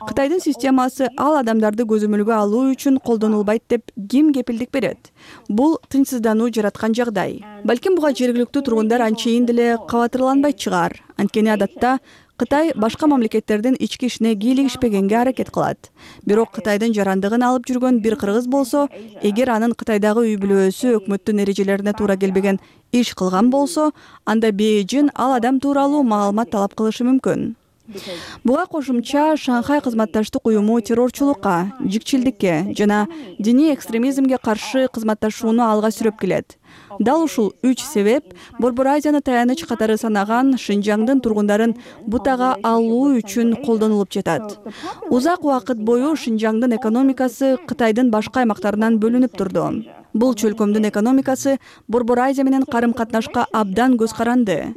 Кытайдын системасы ал адамдарды көзөмөлгө алуу үчүн колдонулбайт деп ким кепилдик берет? Бул тынчсыздануу жараткан жагдай. Балким буга жергиликтүү тургундар анчейин деле кабатырланбайт чыгар. Анткени адатта Кытай башка мамлекеттердин ички ишине кийлигишпегенге аракет кылат. Бирок Кытайдын жарандыгын алып жүргөн бир кыргыз болсо, эгер анын Кытайдагы үй бүлөсү өкмөттүн эрежелерине туура келбеген иш кылган болсо, анда Бейжин ал адам тууралуу маалымат талап кылышы мүмкүн. Буга кошумча Шанхай кызматташтык уюму террорчулукка, жикчилдикке жана диний экстремизмге каршы кызматташууну алга сүрөп келет. Дал ушул үч себеп Борбор Азияны таяныч катары санаган Шинжаңдын тургундарын бутага алуу үчүн колдонулуп жатат. Узак убакыт бою Шинжаңдын экономикасы Кытайдын башка аймактарынан бөлүнүп турду. Бул чөлкөмдүн экономикасы Борбор Азия менен карым-катнашка абдан көз каранды.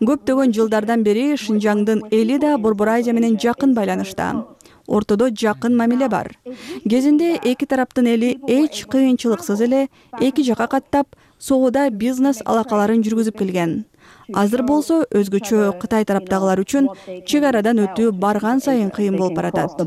Көптөгөн жылдардан бери Шинжаңдын эли да Борбор Азия менен жакын байланышта. Ортодо жакын мамиле бар. Кезинде эки тараптын эли эч кыйынчылыксыз эле эки жака каттап, соодо бизнес алакаларын жүргүзүп келген. Азыр болсо өзгөчө Кытай тараптагылар үчүн чек арадан өтүү барган сайын кыйын болуп баратат.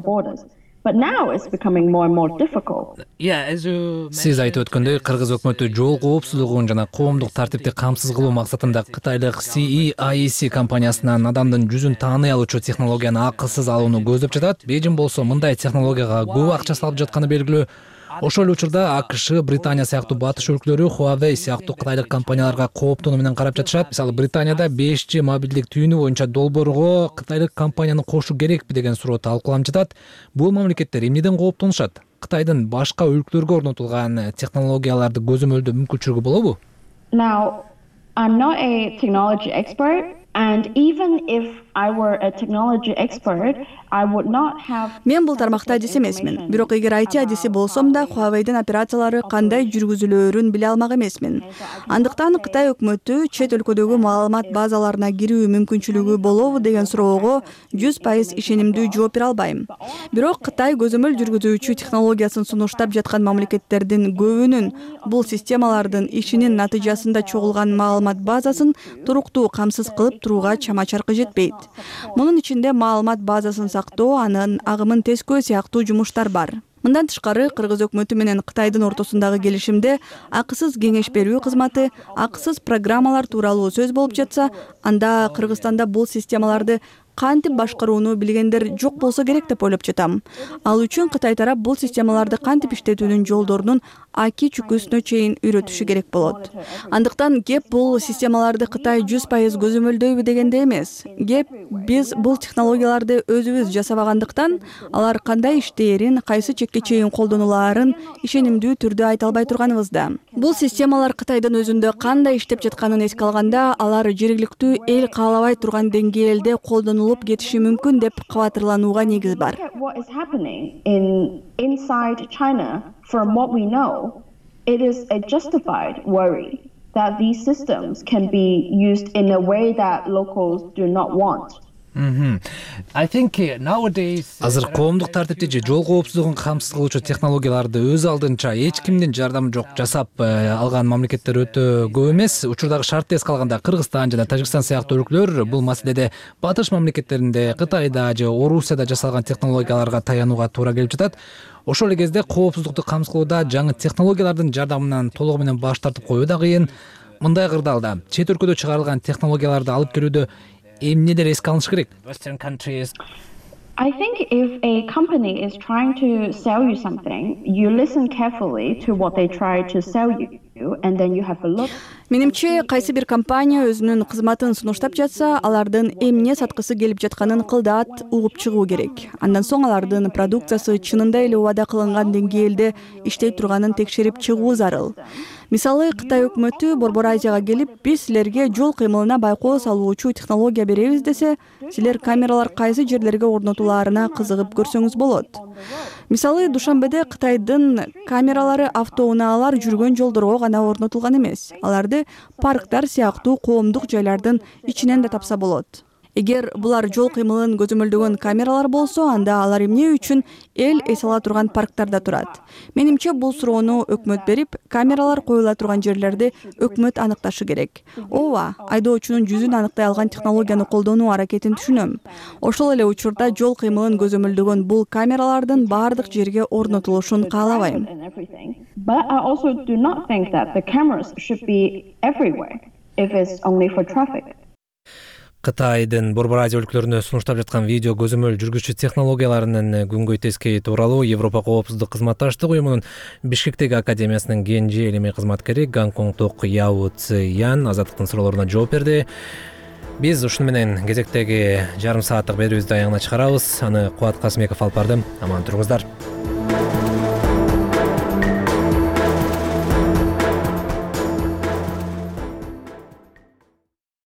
But now it's becoming more and more difficult. Сиз айтып өткөндөй, Кыргыз өкмөтү жол коопсуздугун жана коомдук тартипти камсыз кылуу максатында Кытайлык си и ай и си компаниясынан адамдын жүзүн тааный алуучу технологияны акысыз алууну көздөп жатат. Бейжин болсо мындай технологияга көп акча салып жатканы белгилүү. Ошол учурда АКШ, Британия сыяктуу батыш өлкөлөрү Huawei сыяктуу кытайлык компанияларга кооптонуу менен карап жатышат. Мисалы, Британияда беш джи мобилдик түйүнү боюнча долбоорго кытайлык компанияны кошуу керекпи деген суроо талкууланып жатат. Бул мамлекеттер эмнеден кооптонушат? Кытайдын башка өлкөлөргө орнотулган технологияларды көзөмөлдөө мүмкүнчүлүгү болобу? Now, I'm not a technology expert, and even if I were a technology expert, I would not have. Мен бул тармакта адис эмесмин. Бирок эгер ай ти адиси болсом да, Huawei'дин операциялары кандай жүргүзүлөөрүн биле алмак эмесмин. Андыктан Кытай өкмөтү чет өлкөдөгү маалымат базаларына кирүү мүмкүнчүлүгү болобу деген суроого жүз пайыз ишенимдүү жооп бере албайм. Бирок Кытай көзөмөл жүргүзүүчү технологиясын сунуштап жаткан мамлекеттердин көбүнүн бул системалардын ишинин натыйжасында чогулган маалымат базасын туруктуу камсыз кылып турууга чама-чаркы жетпейт. Мунун ичинде маалымат базасын сактоо, анын агымын тескөө сыяктуу жумуштар бар. Мындан тышкары, Кыргыз өкмөтү менен Кытайдын ортосундагы келишимде акысыз кеңеш берүү кызматы, акысыз программалар тууралуу сөз болуп жатса, анда Кыргызстанда бул системаларды кантип башкарууну билгендер жок болсо керек деп ойлоп жатам. Ал үчүн Кытай тарап бул системаларды кантип иштетүүнүн жолдорунун аки чүкүсүнө чейин үйрөтүшү керек болот. Андыктан кеп бул системаларды Кытай жүз пайыз көзөмөлдөйбү дегенде эмес. Кеп биз бул технологияларды өзүбүз жасабагандыктан алар кандай иштээрин, кайсы чекке чейин колдонулаарын ишенимдүү түрдө айта албай турганыбызда. Бул системалар Кытайдын өзүндө кандай иштеп жатканын эске алганда, алар жергиликтүү эл каалабай турган деңгээлде колдонулуп кетиши мүмкүн деп кабатырланууга негиз бар. What is happening in inside China, from what we know, it is a justified worry that these systems can be used in a way that locals do not want. Азыр коомдук тартипти же жол коопсуздугун камсыз кылуучу технологияларды өз алдынча эч кимдин жардамы жок жасап алган мамлекеттер өтө көп эмес. Учурдагы шартты эске алганда Кыргызстан жана Тажикстан сыяктуу өлкөлөр бул маселеде батыш мамлекеттеринде, Кытайда же Орусияда жасалган технологияларга таянууга туура келип жатат. Ошол эле кезде коопсуздукту камсыз кылууда жаңы технологиялардын жардамынан толугу менен баш тартып коюу да кыйын. Мындай кырдаалда чет өлкөдө чыгарылган технологияларды алып келүүдө эмнелер эске алыныш керек? I think if a company is trying to sell you something, you listen carefully to what they try to sell you, and then you have a look. Менимче, кайсы бир компания өзүнүн кызматын сунуштап жатса, алардын эмне саткысы келип жатканын кылдаат угуп чыгуу керек. Андан соң алардын продукциясы чынында эле убада кылынган деңгээлде иштей турганын текшерип чыгуу зарыл. Мисалы, Кытай өкмөтү Борбор Азияга келип, биз силерге жол кыймылына байкоо салуучу технология беребиз десе, силер камералар кайсы жерлерге орнотулаарына кызыгып көрсөңүз болот. Мисалы, Душанбеде Кытайдын камералары автоунаалар жүргөн жолдорго гана орнотулган эмес. Аларды парктар сыяктуу коомдук жайлардын ичинен да тапса болот. Эгер булар жол кыймылын көзөмөлдөгөн камералар болсо, анда алар эмне үчүн эл эс ала турган парктарда турат? Менимче, бул суроону өкмөт берип, камералар коюла турган жерлерди өкмөт аныкташы керек. Ооба, айдоочунун жүзүн аныктай алган технологияны колдонуу аракетин түшүнөм. Ошол эле учурда жол кыймылын көзөмөлдөгөн бул камералардын баардык жерге орнотулушун каалабайм. But I also do not think that the cameras should be everywhere if it's only for traffic. Кытайдын Борбор Азия өлкөлөрүнө сунуштап жаткан видео көзөмөл жүргүзчү технологияларынын күнгөй тескейи тууралуу Европа коопсуздук кызматташтык уюмунун Бишкектеги академиясынын кенже илимий кызматкери Гонконгдук Яо Цзиян азаттыктын суроолоруна жооп берди. Биз ушуну менен кезектеги жарым сааттык берүүбүздү аягына чыгарабыз. Аны Кубат Касымбеков алып барды. Аман туруңуздар.